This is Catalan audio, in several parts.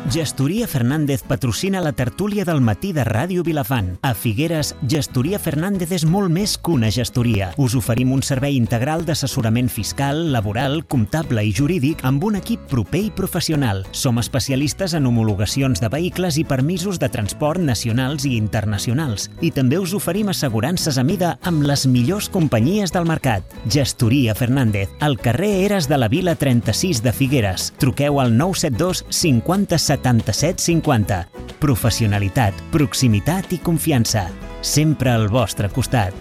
Gestoria Fernández patrocina la tertúlia del matí de Ràdio Vilafant. A Figueres, Gestoria Fernández és molt més que una gestoria. Us oferim un servei integral d'assessorament fiscal, laboral, comptable i jurídic amb un equip proper i professional. Som especialistes en homologacions de vehicles i permisos de transport nacionals i internacionals. I també us oferim assegurances a mida amb les millors companyies del mercat. Gestoria Fernández, al carrer Eres de la Vila 36 de Figueres. Truqueu al 972 50 77 50. Professionalitat, proximitat i confiança. Sempre al vostre costat.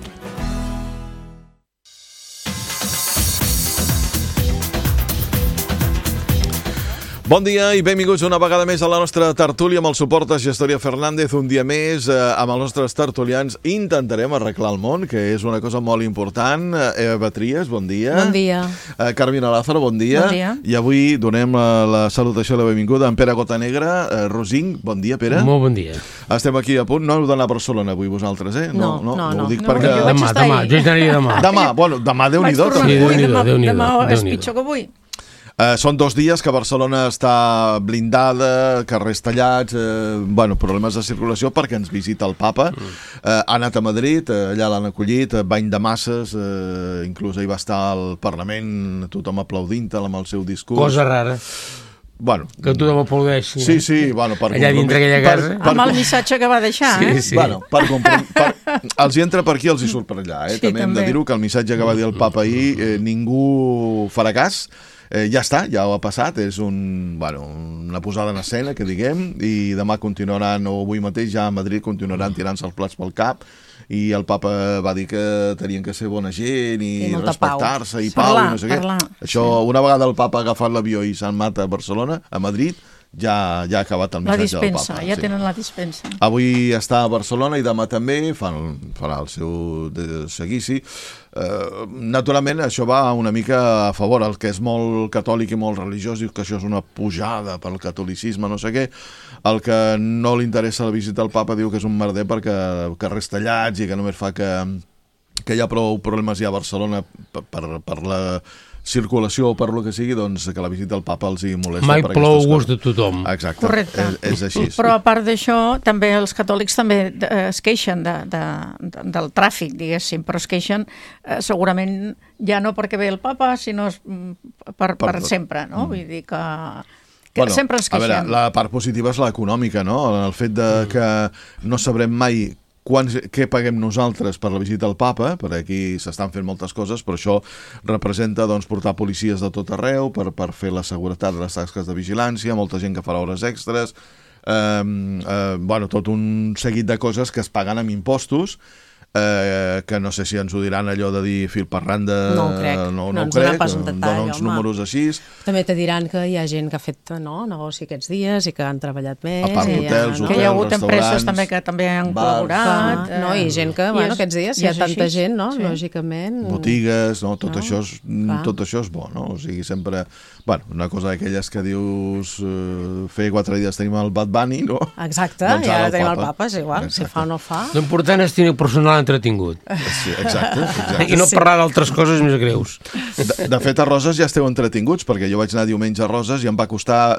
Bon dia i benvinguts una vegada més a la nostra tertúlia amb el suport de Gestoria Fernández. Un dia més amb els nostres tertulians intentarem arreglar el món, que és una cosa molt important. Eva Batries, bon dia. Bon dia. Carmina Lázaro, bon dia. Bon dia. I avui donem la salutació i la benvinguda a en Pere Gotanegra. Rosing, bon dia, Pere. Molt bon dia. Estem aquí a punt. No heu d'anar a Barcelona avui vosaltres, eh? No. Ho dic perquè... Demà, jo hi aniré demà. Demà, Déu-n'hi-do. Sí, Déu-n'hi-do. Demà és pitjor que avui. Són 2 dies que Barcelona està blindada, carrers tallats, problemes de circulació perquè ens visita el papa. Ha anat a Madrid, allà l'han acollit, bany de masses, inclús ahir va estar al Parlament, tothom aplaudint-te'l amb el seu discurs. Cosa rara. Bueno, que tothom aplaudeixi. Sí, allà dintre aquella casa. Amb el missatge que va deixar, Sí. Bueno, els hi entra per aquí, els hi surt per allà. Sí, també hem de dir-ho, que el missatge que va dir el papa ahir ningú farà cas. Ja està, ja ho ha passat, és una posada en escena, que diguem, i demà continuaran, o avui mateix ja a Madrid continuaran tirant-se els plats pel cap, i el papa va dir que tenien que ser bona gent i respectar-se i pau i no sé què. Això, una vegada el papa ha agafat l'avió i s'han anat a Barcelona, a Madrid, ja ha acabat el missatge del papa. Ja tenen la dispensa. Avui està a Barcelona i demà també farà el seu seguici. Naturalment això va una mica a favor. El que és molt catòlic i molt religiós diu que això és una pujada pel catolicisme, no sé què. El que no li interessa la visita al papa diu que és un merder perquè carrers tallats i que només fa que hi ha prou problemes ja a Barcelona per la circulació o per lo que sigui, doncs que la visita al papa els hi molesta. Mai plou a gust de tothom. Exacte. Correcte. És així. Però a part d'això, també els catòlics també es queixen del tràfic, diguéssim, però es queixen segurament ja no perquè ve el papa, sinó per sempre, no? Vull dir que sempre ens queixem. A veure, la part positiva és l'econòmica, no? El fet que no sabrem mai què paguem nosaltres per la visita al papa, per aquí s'estan fent moltes coses, però això representa portar policies de tot arreu per fer la seguretat de les tasques de vigilància, molta gent que farà hores extres, tot un seguit de coses que es paguen amb impostos, que no sé si ens ho diran allò de dir fil per randa. No ho crec. No ho crec, dona uns números així. També te diran que hi ha gent que ha fet negoci aquests dies i que han treballat més. A part d'hotels, que hi ha hagut empreses també que també han col·laborat. I gent que, aquests dies hi ha tanta gent, no? Lògicament. Botigues, tot això és bo, no? O sigui, sempre... una cosa d'aquelles que dius fer 4 dies tenim el Bad Bunny, no? Exacte, i ara tenim el papa, és igual, si fa o no fa. L'important és tenir personal entretingut. Sí, exacte. I no parlar d'altres coses més greus. De fet, a Roses ja esteu entretinguts, perquè jo vaig anar diumenge a Roses i em va costar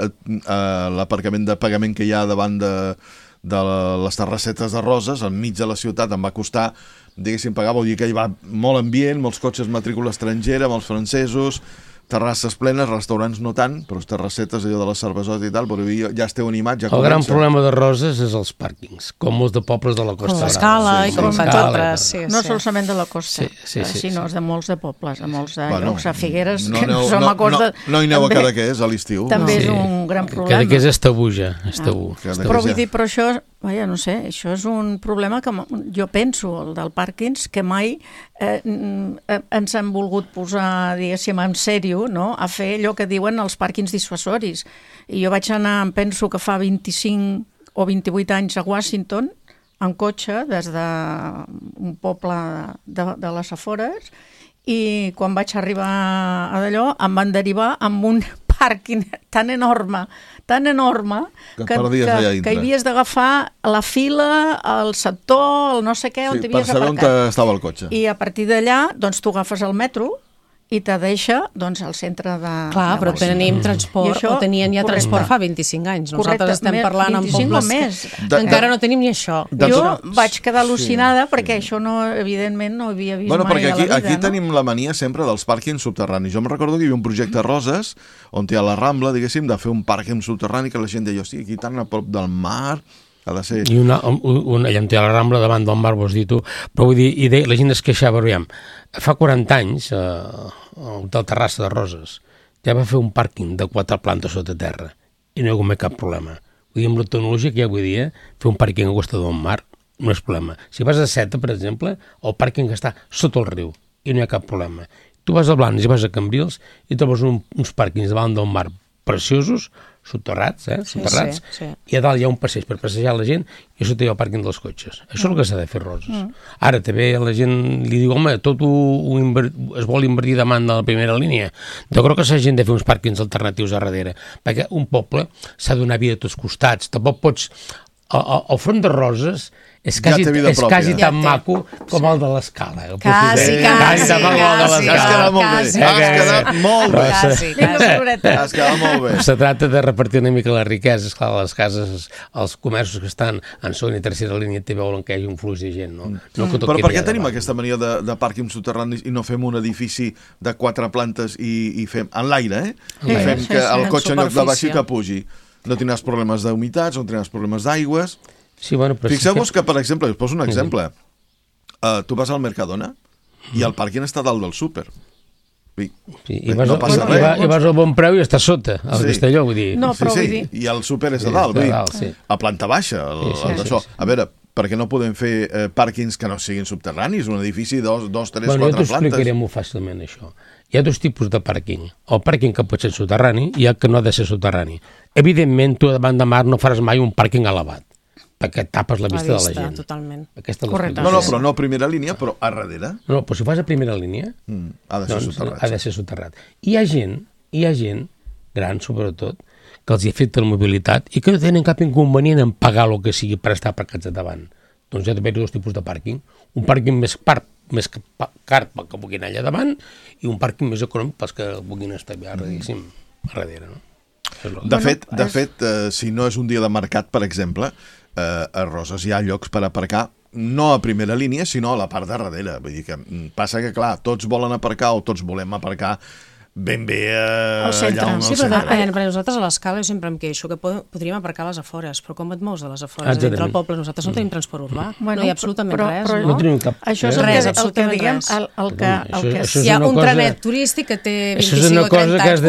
l'aparcament de pagament que hi ha davant de les terrassetes de Roses, enmig de la ciutat, em va costar, diguéssim, pagar, vol dir que hi va molt ambient, molts cotxes matrícula estrangera, molts francesos, terrasses plenes, restaurants no tant, però terrassetes allò de les cervesotes i tal, però ja esteu animats, ja comença. El gran problema de Roses és els pàrquings, com molts de pobles de la Costa. Com l'Escala i com altres. No solament de la Costa, sinó de molts de pobles, de molts de llocs, a Figueres, que no som a Costa. No hi aneu a Cadaqués a l'estiu. També és un gran problema. Cadaqués és tabú ja, és tabú. Però vull dir, però això, no sé, això és un problema que jo penso, el del pàrquings, que mai ens han volgut posar, diguéssim, en sèrio, no?, a fer allò que diuen els pàrquings dissuasoris. I jo vaig anar, em penso que fa 25 o 28 anys a Washington, en cotxe, des d'un poble de les afores, i quan vaig arribar a d'allò em van derivar amb un pàrquing tan enorme, que hi havies d'agafar la fila, el sector, el no sé què, on t'havies per saber aparcat. on estava el cotxe. I a partir d'allà, doncs tu agafes el metro i te deixa doncs, al centre de... Clar, però tenim transport, o tenien ja correcte. transport fa 25 anys. Nosaltres estem parlant en 25 pobles o més. que encara no tenim ni això. Jo vaig quedar al·lucinada perquè això no, evidentment no havia vist mai a la vida. Aquí tenim la mania sempre dels pàrquings subterranis. Jo em recordo que hi havia un projecte a Roses on hi ha la Rambla, diguéssim, de fer un pàrquing subterrani que la gent deia, hosti, aquí tan a prop del mar... Ha de ser... I allà on té la Rambla davant del mar, vols dir tu, però vull dir, la gent es queixava, aviam, fa 40 anys del Terrassa de Roses ja va fer un pàrquing de 4 plantes sota terra i no hi ha hagut mai cap problema. Vull dir, amb la tecnologia que hi ha avui dia, fer un pàrquing a costa del mar no és problema. Si vas a Seta, per exemple, el pàrquing està sota el riu i no hi ha cap problema. Tu vas a Blanes i vas a Cambrils i trobes uns pàrquings davant del mar preciosos, soterrats, soterrats, sí. I a dalt hi ha un passeig per passejar la gent i a sota hi ha el pàrquing dels cotxes. Això és el que s'ha de fer, Roses. Ara també la gent li diu, home, tot es vol invertir davant de la primera línia. Jo crec que s'hagin de fer uns pàrquings alternatius a darrere, perquè un poble s'ha de donar vida a tots costats. Tampoc pots... El front de Roses és quasi tan maco com el de l'Escala. Quasi. Has quedat molt bé. Has quedat molt bé. Se tracta de repartir una mica les riqueses. Clar, les cases, els comerços que estan en segona i tercera línia te veuen que hi hagi un flux de gent. Però per què tenim aquesta mania de pàrquings subterranis i no fem un edifici de 4 plantes i fem en l'aire, i fem que el cotxe en lloc de baixi que pugi? No tindràs problemes d'humitats, no tindràs problemes d'aigües. Sí, bueno, fixeu-vos que, per exemple, us poso un exemple. Tu vas al Mercadona i el pàrquing està dalt del súper. I vas al Bon Preu i està sota, al Castelló, vull dir. No, però vull dir... I el súper és a dalt, a planta baixa, d'això. A veure, per què no podem fer pàrquings que no siguin subterranis? Un edifici de 2, 3, 4 plantes? Jo t'explicaré molt fàcilment això. Hi ha 2 tipus de pàrquing. El pàrquing que pot ser soterrani i el que no ha de ser soterrani. Evidentment, tu davant de mar no faràs mai un pàrquing elevat, perquè tapes la vista de la gent. Totalment. Correcte. No, però no a primera línia, però a darrere. No, però si fas a primera línia, ha de ser soterrat. Hi ha gent, gran sobretot, que els hi afecta la mobilitat i que no tenen cap inconvenient en pagar el que sigui per estar aparcats a davant. Doncs hi ha d'haver 2 tipus de pàrquing. Un pàrquing més car que puguin anar allà davant i un pàrquing més econòmic pels que puguin estar a darrere. No? De fet, si no és un dia de mercat, per exemple, a Roses hi ha llocs per aparcar no a primera línia, sinó a la part de darrere. Vull dir que passa que, clar, tots volen aparcar o tots volem aparcar ben bé allà on sí, però nosaltres a l'Escala jo sempre em queixo que podríem aparcar a les afores, però com et mous de les afores dintre el poble? Nosaltres no tenim transport urbà, no hi ha absolutament res. No tenim cap... Això és el que diguem, hi ha un trenet turístic que té 25 o 30 anys. Això és una cosa que has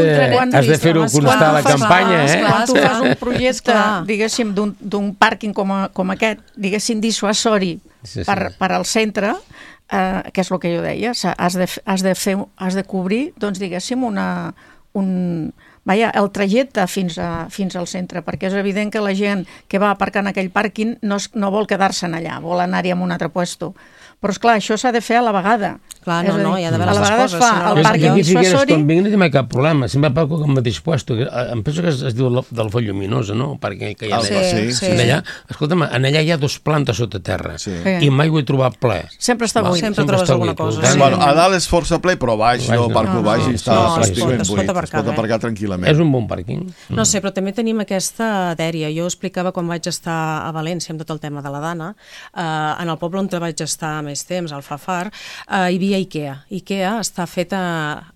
de fer-ho constar a la campanya, Quan tu fas un projecte, diguéssim, d'un pàrquing com aquest, diguéssim, dissuasori per al centre, que és el que jo deia, has de cobrir, doncs, diguéssim, el trajecte fins al centre, perquè és evident que la gent que va aparcar en aquell pàrquing no vol quedar-se'n allà, vol anar-hi a un altre puesto. Però, esclar, això s'ha de fer a la vegada. Clar, no, hi ha d'haver les coses. Es fa el pàrquing dissuasori... Quan vinc no té mai cap problema, sempre aparco al mateix puesto. Em penso que es diu del Font Lluminosa, no? El pàrquing que hi ha allà. Escolta'm, allà hi ha 2 plantes sota terra i mai ho he trobat ple. Sempre està buit. Sempre trobes alguna cosa. A dalt és força ple, però baix, jo parco baix i està pràcticament buit. Es pot aparcar tranquil·lament. És un bon pàrquing. No sé, però també tenim aquesta dèria. Jo explicava quan vaig estar a València amb tot el tema de la Dana, en el poble on vaig estar més temps, al Fafar, hi havia Ikea. Ikea està feta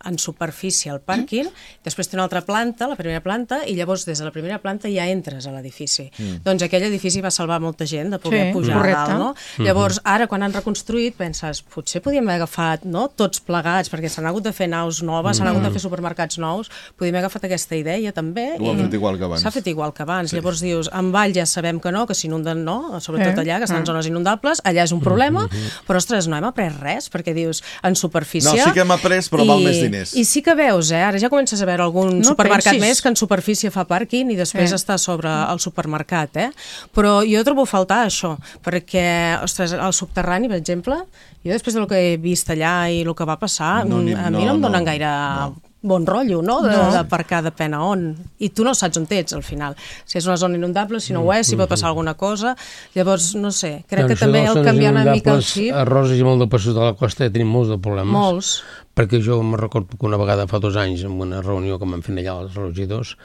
en superfície al pàrquing, després té una altra planta, la primera planta, i llavors des de la primera planta ja entres a l'edifici. Doncs aquell edifici va salvar molta gent de poder pujar a dalt, no? Llavors, ara, quan han reconstruït, penses, potser podíem haver agafat tots plegats, perquè s'han hagut de fer naus noves, s'han hagut de fer supermercats nous, podíem haver agafat aquesta idea també. Ho han fet igual que abans. S'ha fet igual que abans. Llavors dius, en Vall ja sabem que no, que s'inunden no, sobretot allà, que estan en zones inundables, allà és un problema, però, ostres, no hem après res, perquè dius, en superfície... No, sí que hem après, però val més diners. I sí que veus, ara ja comences a veure algun supermercat més que en superfície fa pàrquing i després està sobre el supermercat, Però jo trobo a faltar això, perquè, ostres, el subterrani, per exemple, jo després del que he vist allà i el que va passar, a mi no em donen gaire bon rotllo, no? D'aparcar depèn a on. I tu no saps on ets, al final. Si és una zona inundable, si no ho és, si pot passar alguna cosa. Llavors, no sé, crec que també el canviar una mica el xip... A Roses i molt de per sota de la costa tenim molts de problemes. Molts. Perquè jo me recordo que una vegada fa 2 anys, en una reunió que vam fer allà als regidors,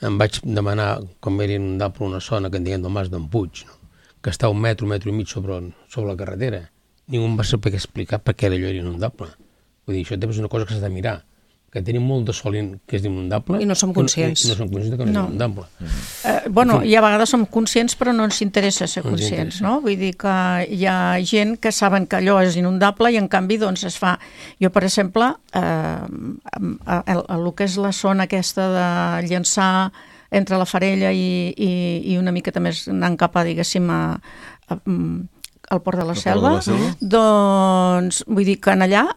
em vaig demanar com era inundable una zona que en diguem del Mas d'en Puig, no? Que està 1 metro, 1,5 metres sobre la carretera. Ningú em va saber explicar per què allò era inundable. Vull dir, això també és una cosa que s'ha de mirar, que tenim molt de sol que és inundable i no som conscients. I no som conscients que no és inundable. Bueno, i a vegades som conscients però no ens interessa ser conscients, no? Vull dir que hi ha gent que saben que allò és inundable i en canvi doncs es fa... Jo, per exemple, el que és la zona aquesta de llançar entre la Farella i una miqueta més anant cap a, diguéssim, al Port de la Selva, doncs vull dir que en allà,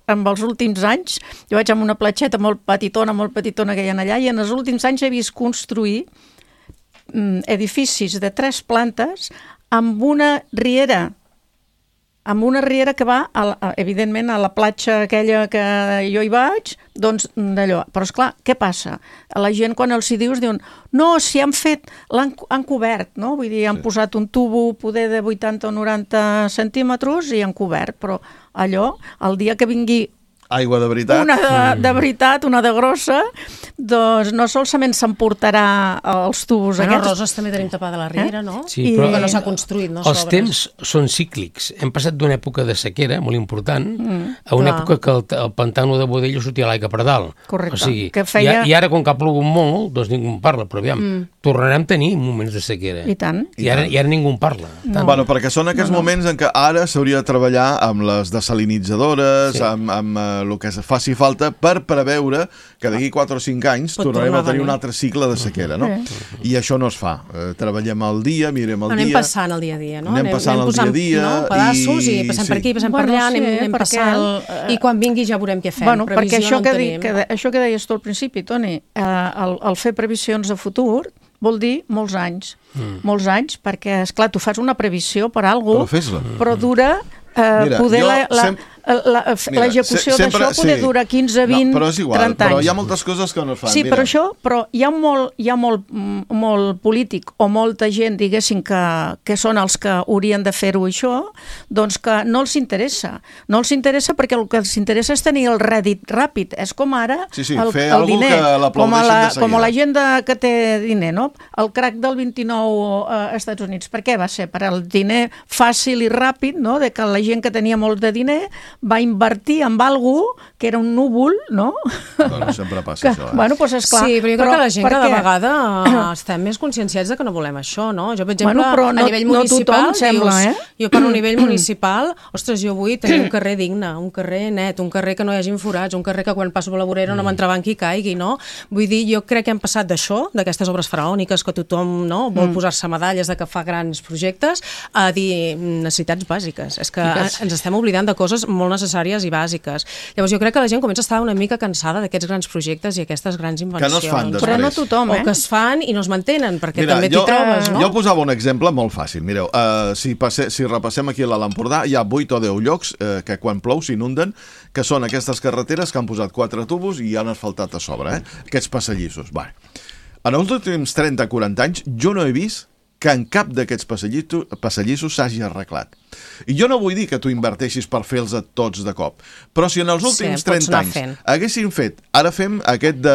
en els últims anys, jo vaig amb una platgeta molt petitona que hi ha allà, i en els últims anys he vist construir edificis de 3 plantes amb una riera que va, evidentment, a la platja aquella que jo hi vaig, doncs d'allò. Però, esclar, què passa? La gent, quan els hi dius, diuen no, si han fet, han cobert, no? Vull dir, han posat un tubo poder de 80 o 90 centímetres i han cobert, però allò, el dia que vingui aigua de veritat. Una de veritat, una de grossa, doncs no solament s'emportarà els tubos aquests. aquests. Roses també tenim tapada la riera, no? Sí, però que no s'ha construït, no els sobres. temps són cíclics. Hem passat d'una època de sequera molt important a una època que el pantano de Bodella sortia l'aigua per dalt. Correcte. O sigui, que feia... I ara, com que ha plogut molt, doncs ningú en parla, però aviam, tornarem a tenir moments de sequera. I tant. I ara ningú en parla. No. Bueno, perquè són aquests moments en què ara s'hauria de treballar amb les desalinitzadores, amb el que faci falta per preveure que d'aquí 4 o 5 anys tornarem a tenir un altre cicle de sequera, no? I això no es fa. Treballem al dia, mirem el dia... Anem passant el dia a dia, no? Anem passant el dia a dia... No? Pedaços i passem per aquí, passem per allà, anem passant... I quan vingui ja veurem què fem. Bueno, perquè això que això que deies tu al principi, Toni, el fer previsions de futur vol dir molts anys. Molts anys, perquè, esclar, tu fas una previsió per alguna cosa, però fes-la. Però dura... poder l'execució d'això poder durar 15, 20, però és igual, 30 anys. però hi ha moltes coses que no es fan. Sí, però hi ha molt polític o molta gent, diguéssim, que són els que haurien de fer-ho això, doncs que no els interessa. No els interessa perquè el que els interessa és tenir el rèdit ràpid. És com ara el diner. Com la gent que té diner, no? El crac del 29 als Estats Units. Per què va ser? Per al diner fàcil i ràpid, no? De que la gent que tenia molt de diner va invertir en algú que era un núvol, no? Bueno, sempre passa això, Bueno, doncs esclar. Sí, però jo crec que la gent cada vegada estem més conscienciats de que no volem això, no? Jo, per exemple, a nivell municipal, jo per un nivell municipal, ostres, jo vull tenir un carrer digne, un carrer net, un carrer que no hi hagin forats, un carrer que quan passo per la vorera no m'entrebanqui i caigui, no? Vull dir, jo crec que hem passat d'això, d'aquestes obres faraòniques que tothom vol posar-se medalles de que fa grans projectes, a dir necessitats bàsiques. És que ens estem oblidant de coses molt necessàries i bàsiques. Llavors jo crec que la gent comença a estar una mica cansada d'aquests grans projectes i aquestes grans invencions. Que no es fan després. Però no tothom, O que es fan i no es mantenen, perquè també t'hi trobes, no? Jo posava un exemple molt fàcil. Mireu, si repassem aquí a l'Alt Empordà, hi ha 8 o 10 llocs que quan plou s'inunden, que són aquestes carreteres que han posat 4 tubos i han asfaltat a sobre, aquests passadissos. En els últims 30-40 anys jo no he vist que en cap d'aquests passadissos s'hagi arreglat. I jo no vull dir que tu inverteixis per fer-los tots de cop, però si en els últims 30 anys haguessin fet, ara fem aquest de...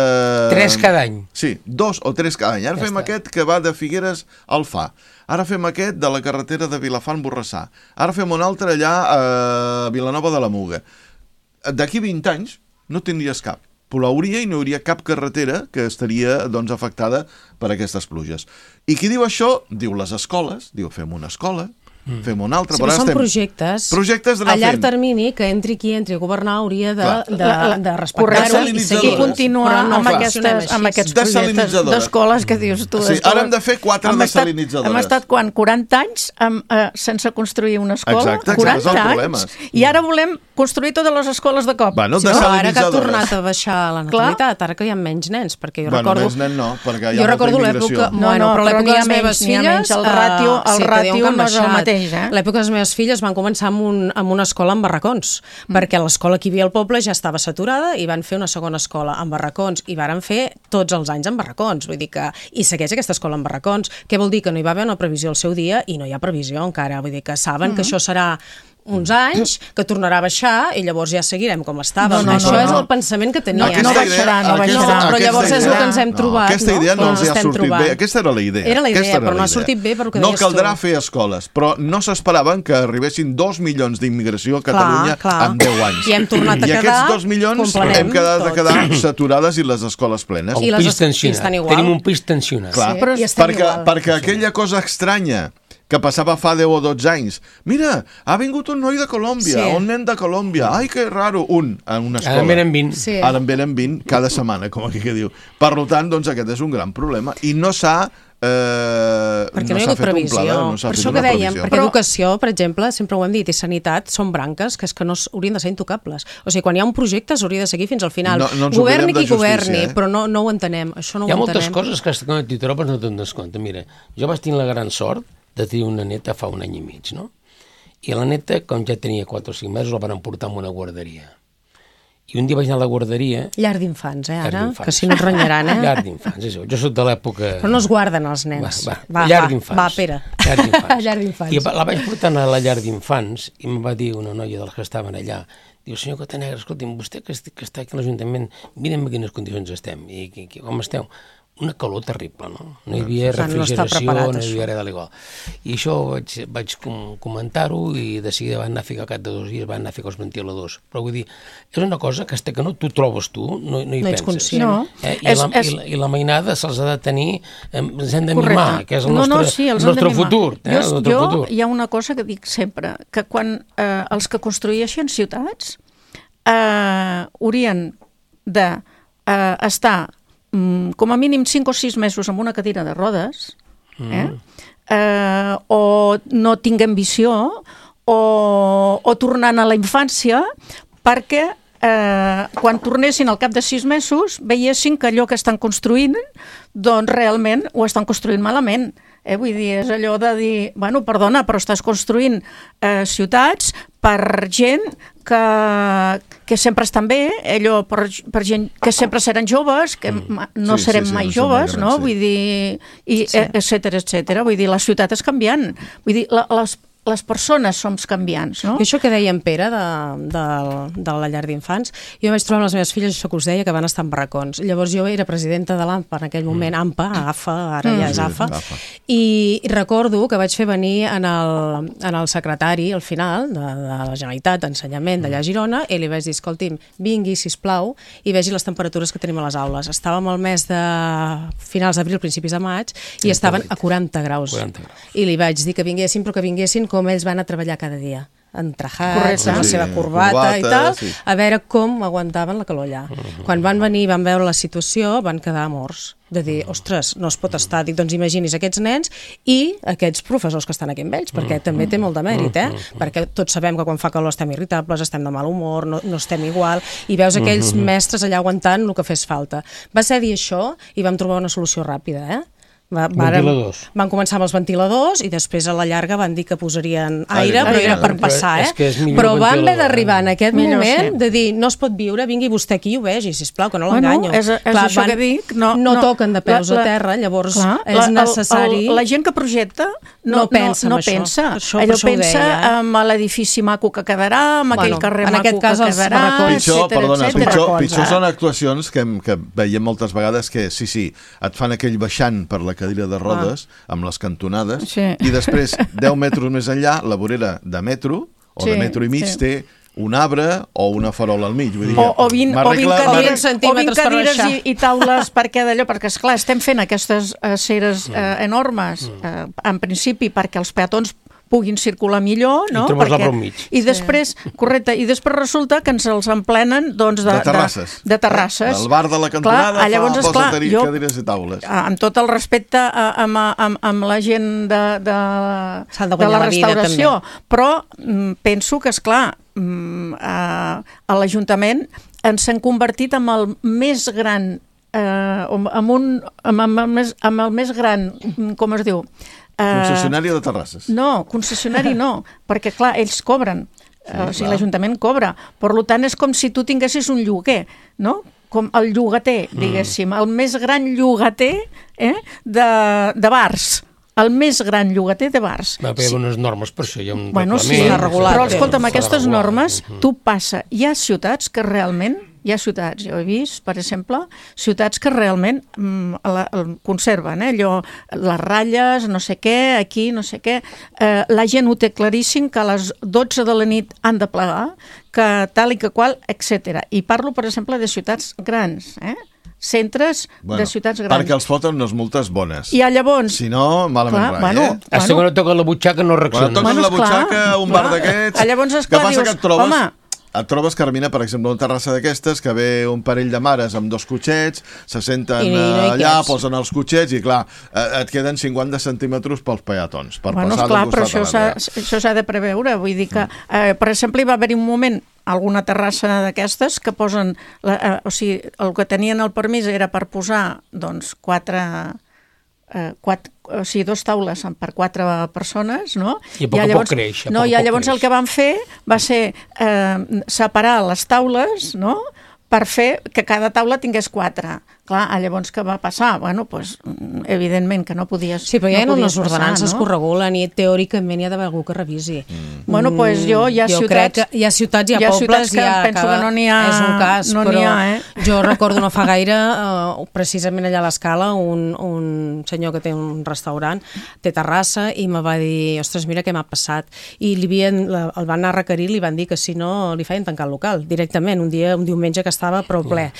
3 cada any. Sí, 2 o 3 cada any. Ara fem aquest que va de Figueres al Fa. Ara fem aquest de la carretera de Vilafant-Borrassà. Ara fem un altre allà a Vilanova de la Muga. D'aquí 20 anys no tindries cap. Plauria i no hi hauria cap carretera que estaria afectada per aquestes pluges. I qui diu això? Diu les escoles, diu fem una escola, fem una altra. Sí, però són projectes a llarg termini que entri qui entri a governar hauria de respectar-ho i seguir continuar amb aquests projectes d'escoles que dius tu. Sí, ara hem de fer 4 desalinitzadores. Hem estat 40 anys sense construir una escola. Exacte, 40 anys. I ara volem construir totes les escoles de cop. Bueno, ara que ha tornat a baixar la natalitat, ara que hi ha menys nens, perquè jo recordo... Menys nens no, perquè hi ha molta immigració. Però l'època de les meves filles... El ràtio no és el mateix. mateix, l'època de les meves filles van començar amb una escola amb barracons, perquè l'escola que hi havia al poble ja estava saturada i van fer una segona escola amb barracons i varen fer tots els anys amb barracons, vull dir que i segueix aquesta escola amb barracons. Què vol dir? Que no hi va haver una previsió al seu dia i no hi ha previsió encara, vull dir que saben que això serà uns anys, que tornarà a baixar i llavors ja seguirem com estàvem. Això és el pensament que tenia. No baixarà. Però llavors és el que ens hem trobat. Aquesta idea no els ha sortit bé. Aquesta era la idea. Era la idea, però no ha sortit bé per el que deies tu. No caldrà fer escoles, però no s'esperaven que arribessin 2 milions d'immigració a Catalunya en 10 anys. I hem tornat a quedar... I aquests 2 milions hem quedat a quedar saturades i les escoles plenes. El pis tensionat. Tenim un pis tensionat. Perquè aquella cosa estranya que passava fa 10 o 12 anys. Mira, ha vingut un noi de Colòmbia, un nen de Colòmbia. Ai, que raro, en una escola. Ara en venen 20. Ara en venen 20 cada setmana, com aquí que diu. Per tant, doncs aquest és un gran problema. I no s'ha... perquè no hi ha hagut previsió. Per això que dèiem, perquè educació, per exemple, sempre ho hem dit, i sanitat són branques que no haurien de ser intocables. O sigui, quan hi ha un projecte s'hauria de seguir fins al final. Governi qui governi, però no ho entenem. Hi ha moltes coses que quan t'hi trobes no te'n des compte. Mira, jo vaig tenir la gran sort de tenir una neta fa un any i mig, no? I la neta, com ja tenia 4 o 5 mesos, la van portar a una guarderia. I un dia vaig anar a la guarderia... Llar d'infants, ara? Que si no et renyaran, Llar d'infants, jo soc de l'època... Però no es guarden els nens. Llar d'infants. Va, Pere. Llar d'infants. I la vaig portar a la llar d'infants i em va dir una noia dels que estaven allà, diu, senyor Cotanegra, escolti'm, vostè que està aquí a l'Ajuntament, mirem en quines condicions estem i com esteu. Una calor terrible, no? No hi havia refrigeració, no hi havia res de l'igual. I això vaig comentar-ho i de seguida van anar a ficar al cap de 2 dies, van anar a ficar els ventiladors. Però vull dir, és una cosa que fins que no t'ho trobes tu, no hi penses. Conscient. I la mainada se'ls ha de tenir, ens hem de mimar, que és el nostre futur. Jo hi ha una cosa que dic sempre, que quan els que construeixen ciutats haurien d'estar com a mínim 5 o 6 mesos amb una cadira de rodes, o no tinguem visió, o tornant a la infància, perquè quan tornessin al cap de 6 mesos veiessin que allò que estan construint doncs realment ho estan construint malament. Vull dir, és allò de dir, bueno, perdona, però estàs construint ciutats per gent que sempre estan bé, allò per gent que sempre seran joves, que no serem mai joves, no? Vull dir, etcètera, etcètera. Vull dir, la ciutat és canviant. Vull dir, les persones som canviants, no? I això que deia en Pere de la llar d'infants, jo vaig trobar amb les meves filles, això que us deia, que van estar en barracons. Llavors jo era presidenta de l'AMPA en aquell moment, AFA, ara ja és AFA, i recordo que vaig fer venir en el secretari, al final, de la Generalitat d'Ensenyament d'allà a Girona, i li vaig dir, escolti'm, vingui, sisplau, i vegi les temperatures que tenim a les aules. Estàvem al mes de finals d'abril, principis de maig, i estaven a 40 graus. I li vaig dir que vinguessin, però que vinguessin com ells van a treballar cada dia, entrajats, amb la seva corbata i tal, a veure com aguantaven la calor allà. Quan van venir i van veure la situació, van quedar morts. De dir, ostres, no es pot estar. Dic, doncs imaginis aquests nens i aquests professors que estan aquí amb ells, perquè també té molt de mèrit, perquè tots sabem que quan fa calor estem irritables, estem de mal humor, no estem igual, i veus aquells mestres allà aguantant el que fes falta. Va ser dir això i vam trobar una solució ràpida, Van començar amb els ventiladors i després a la llarga van dir que posarien aire, però era per passar, Però van haver d'arribar en aquest moment de dir, no es pot viure, vingui vostè aquí i ho vegi, sisplau, que no l'enganyo. És això que dic. No toquen de peus a terra, llavors és necessari... La gent que projecta no pensa. Allò pensa en l'edifici maco que quedarà, amb aquell carrer maco que quedarà, etcètera. Pitjor són actuacions que veiem moltes vegades que, sí, et fan aquell baixant per la cadira de rodes, amb les cantonades, i després, 10 metres més enllà, la vorera de metro, o de metro i mig, té un arbre o una farola al mig. O 20 cadires i taules perquè esclar, estem fent aquestes aceres enormes, en principi perquè els peatons puguin circular millor, no? I després resulta que ens els emplenen de terrasses. El bar de la cantonada posa cadires i taules. Amb tot el respecte amb la gent de la restauració, però penso que, esclar, a l'Ajuntament ens hem convertit en el més gran amb el més gran, com es diu? Concessionària de terrasses. No, concessionari no, perquè clar, ells cobren, o sigui, l'Ajuntament cobra, per tant és com si tu tinguessis un lloguer, no? Com el llogater, diguéssim, el més gran llogater de bars, el més gran llogater de bars. Va haver unes normes per això, hi ha un reglament. Sí, però escolta'm, aquestes normes, tu passa, hi ha ciutats que realment, jo he vist, per exemple, ciutats que realment conserven, allò, les ratlles, no sé què, aquí, no sé què, la gent ho té claríssim que a les 12 de la nit han de plegar, que tal i que qual, etc. I parlo, per exemple, de ciutats grans, centres de ciutats grans. Perquè els foten unes multes bones. I llavors... Si no, malament rai, Hasta que no toca la butxaca no reacciona. Quan toques la butxaca, un bar d'aquests... Llavors, esclar, dius, home... Et trobes, Carmina, per exemple, una terrassa d'aquestes que ve un parell de mares amb 2 cotxets, se senten allà, posen els cotxets i, clar, et queden 50 centímetres pels peatons. Esclar, però això s'ha de preveure. Vull dir que, per exemple, hi va haver un moment alguna terrassa d'aquestes que posen... O sigui, el que tenien el permís era per posar, doncs, 2 taules per 4 persones, no? I a poc creix. No, i llavors el que van fer va ser separar les taules, no?, per fer que cada taula tingués 4. Clar, llavors què va passar? Bueno, doncs, evidentment que no podies... Sí, però hi ha unes ordenances que ho regulen i teòricament hi ha d'haver algú que revisi. Bueno, doncs hi ha ciutats... crec que hi ha ciutats, hi ha pobles... que penso que no n'hi ha... És un cas, però jo recordo no fa gaire, precisament allà a l'Escala, un senyor que té un restaurant, té terrassa, i me va dir, ostres, mira què m'ha passat. I el van anar a requerir, li van dir que si no li feien tancar el local, directament, un diumenge que estava prou ple.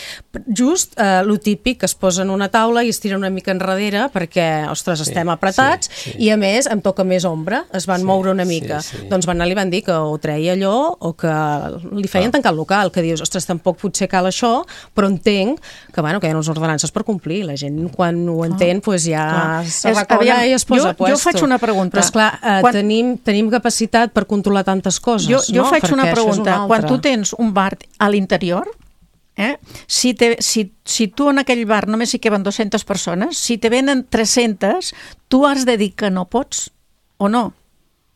Just lo típic que es posa en una taula i es tira una mica enrere perquè, ostres, estem apretats i a més em toca més ombra, es van moure una mica. Doncs van anar, li van dir que o treia allò o que li feien tancar el local, que dius, ostres, tampoc potser cal això, però entenc que, bueno, que hi ha unes ordenances per complir. La gent, quan ho entén, ja se recorda i es posa a puesto. Jo faig una pregunta. Però, esclar, tenim capacitat per controlar tantes coses, no? Jo faig una pregunta. Quan tu tens un bar a l'interior, si tu en aquell bar només hi queben 200 persones, si te venen 300, tu has de dir que no pots, o no?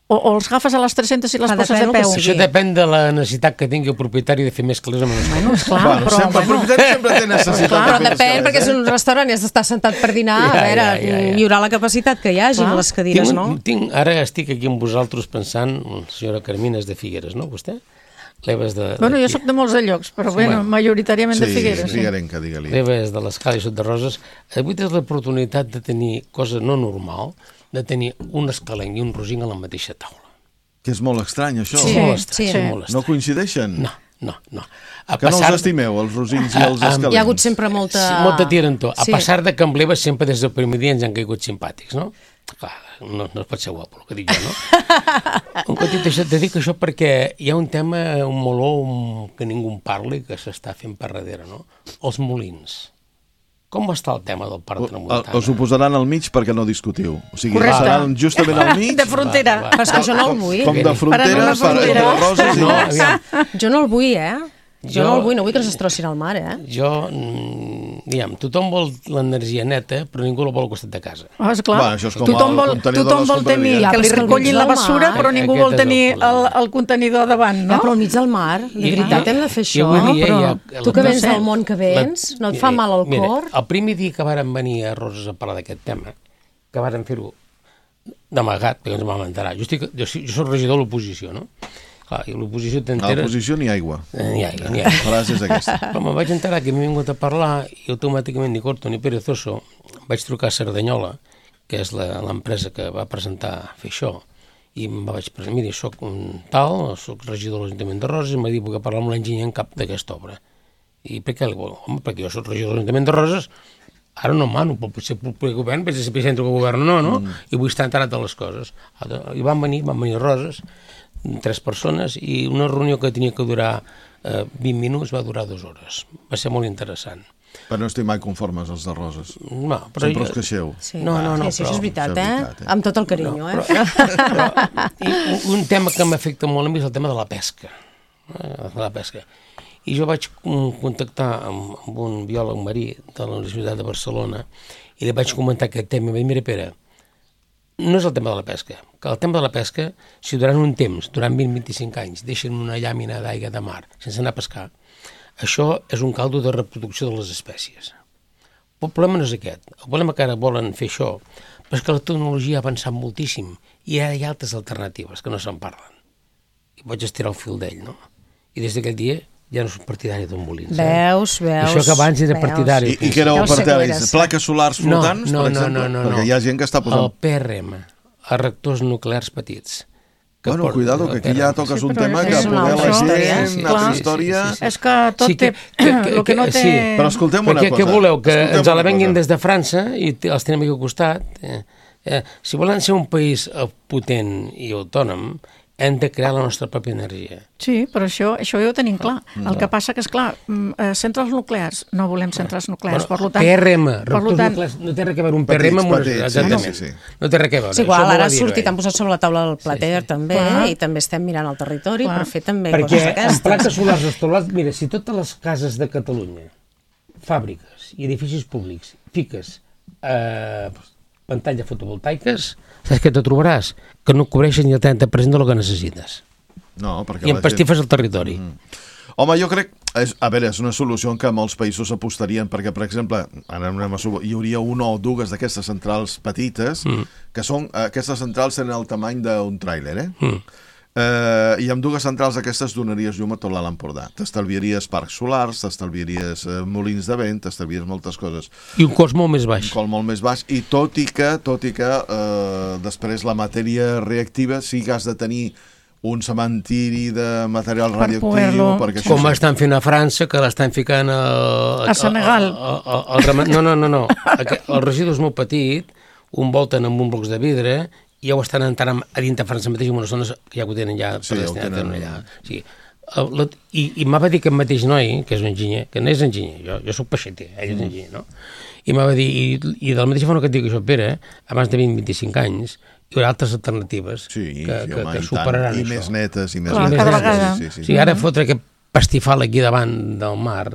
O els agafes a les 300 i les poses a peu? Això depèn de la necessitat que tingui el propietari de fer més calés amb els El propietari sempre té necessitat. Però depèn, perquè és un restaurant i has d'estar sentat per dinar, a veure, hi haurà la capacitat que hi hagi, les cadires, no? Ara estic aquí amb vosaltres pensant, la senyora Carmina és de Figueres, no, vostè? Bueno, jo soc de molts de llocs, però majoritàriament de Figueres. Sí, figuerenca, digue-li. L'Eva és de l'Escala i Sot de Roses. Avui tens l'oportunitat de tenir cosa no normal, de tenir un escalenc i un rosinc a la mateixa taula. Que és molt estrany, això. Sí, molt estrany. No coincideixen? No. Que no els estimeu, els rosins i els escalencs? Hi ha hagut sempre molta tirantor. A pesar de que amb l'Eva sempre des del primer dia ens han caigut simpàtics, no? Clar, no es pot ser guapo, el que dic jo, no? Un petit això te dic això perquè hi ha un tema, un meló que ningú en parli, que s'està fent per darrere, no? Els molins. Com està el tema del Parc Tramuntana? Us ho posaran al mig perquè no discutiu. O sigui, seran justament al mig. De frontera. Però és que jo no el vull. Com de frontera, per Roses i Mas. Jo no el vull, Jo no el vull, no vull que es destrossin al mar, Jo, diguem, tothom vol l'energia neta, però ningú la vol al costat de casa. Esclar, tothom vol tenir que li recollin la bessura, però ningú vol tenir el contenidor davant, no? Però al mig del mar, de veritat hem de fer això, però tu que vens del món que vens, no et fa mal al cor? El primer dia que vàrem venir a Roses a parlar d'aquest tema, que vàrem fer-ho d'amagat, perquè ens vam enterar, jo soc regidor de l'oposició, no? Clar, i l'oposició t'enteres... A l'oposició ni aigua. Ni aigua. La frase és aquesta. Però me'n vaig enterar que m'he vingut a parlar i automàticament ni corto ni perezoso vaig trucar a Cerdanyola, que és l'empresa que va presentar fer això, i em vaig presentar, mira, soc un tal, soc regidor de l'Ajuntament de Roses, i m'ha dit que parlar amb l'enginyer en cap d'aquesta obra. I per què? Home, perquè jo soc regidor de l'Ajuntament de Roses, ara no mano, però potser el govern, potser si centre que govern no? I vull estar enterat de les coses. I van venir a Roses, 3 persones, i una reunió que tenia que durar 20 minuts va durar 2 hores. Va ser molt interessant. Però no estic mai conformes, els de Roses. No, però sempre us queixeu. No, això és veritat, Amb tot el carinyo, I un tema que m'afecta molt a mi és el tema de la pesca. I jo vaig contactar amb un biòleg marí de la Universitat de Barcelona i li vaig comentar aquest tema. I mira, Pere, no és el tema de la pesca, que el tema de la pesca, si durant un temps, durant 20-25 anys, deixen una llàmina d'aigua de mar sense anar a pescar, això és un caldo de reproducció de les espècies. El problema no és aquest. El problema que ara volen fer això, però és que la tecnologia ha avançat moltíssim i ara hi ha altres alternatives que no se'n parlen. I vaig estirar el fil d'ell, no? I des d'aquell dia ja no soc partidari d'un molins. Veus. Això que abans era partidari. I què éreu partidaris? Plaques solars flotants, per exemple? No. Perquè hi ha gent que està posant... El PRM, els reactors nuclears petits. Bueno, cuidado, que aquí ja toques un tema que poder la gent, una altra història... És que tot té... El que no té... Però escoltem una cosa. Què voleu? Que ens la venguin des de França i els tenim aquí al costat? Si volen ser un país potent i autònom, hem de crear la nostra pròpia energia. Sí, però això ja ho tenim clar. El que passa que, esclar, centrals nuclears, no volem centrals nuclears, per tant... PRM, reactors nuclears, no té res a veure un PRM amb una... Exactament. No té res a veure. És igual, ara ha sortit, han posat sobre la taula el plater també, i també estem mirant el territori per fer també coses d'aquestes. Perquè en plaques solars instal·lades, mira, si totes les cases de Catalunya, fàbriques i edificis públics, fiques pantalles fotovoltaiques, saps què te trobaràs? Que no cobreixen ni el 30% del que necessites. No, perquè I empastifes el territori. Home, jo crec... A veure, és una solució en què molts països apostarien, perquè, per exemple, hi hauria una o dues d'aquestes centrals petites, que són... Aquestes centrals tenen el tamany d'un tràiler, i amb dues centrals aquestes donaries llum a tot l'Alt Empordà. T'estalviaries parcs solars, t'estalviaries molins de vent, t'estalviaries moltes coses. I un cost molt més baix. Un cost molt més baix, i tot i que després la matèria reactiva sí que has de tenir un cementiri de material radioactiu... Com estan fent a França, que l'estan ficant a Senegal. No. El residu és molt petit, un volten amb un blocs de vidre, i ja ho estan entrant a dintre França mateix en unes zones que ja ho tenen ja predestinat allà. Sí. I m'ha va dir aquest mateix noi, que és un enginyer, que no és enginyer, jo soc peixeter, ell és enginyer, no? I m'ha va dir, i de la mateixa forma que et dic això, Pere, abans de 20-25 anys, hi haurà altres alternatives que superaran això. I més netes, i més netes. Sí, ara fotre aquest pastifal aquí davant del mar,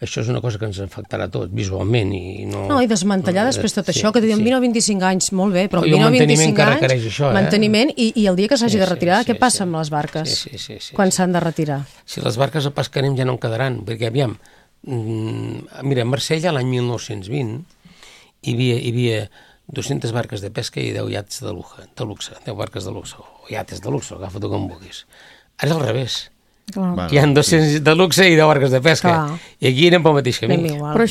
això és una cosa que ens afectarà a tots, visualment. I desmantellar després tot això, que diuen 20 o 25 anys, molt bé, però 20 o 25 anys, manteniment, i el dia que s'hagi de retirar, què passa amb les barques quan s'han de retirar? Si les barques a pescarem ja no en quedaran, perquè aviam, mira, a Marsella l'any 1920 hi havia 200 barques de pesca i 10 iates de luxe, 10 barques de luxe, o iates de luxe, agafa-t'ho com vulguis. Ara és al revés. Hi ha 200 de luxe i 10 barques de pesca. I aquí anem pel mateix camí. Però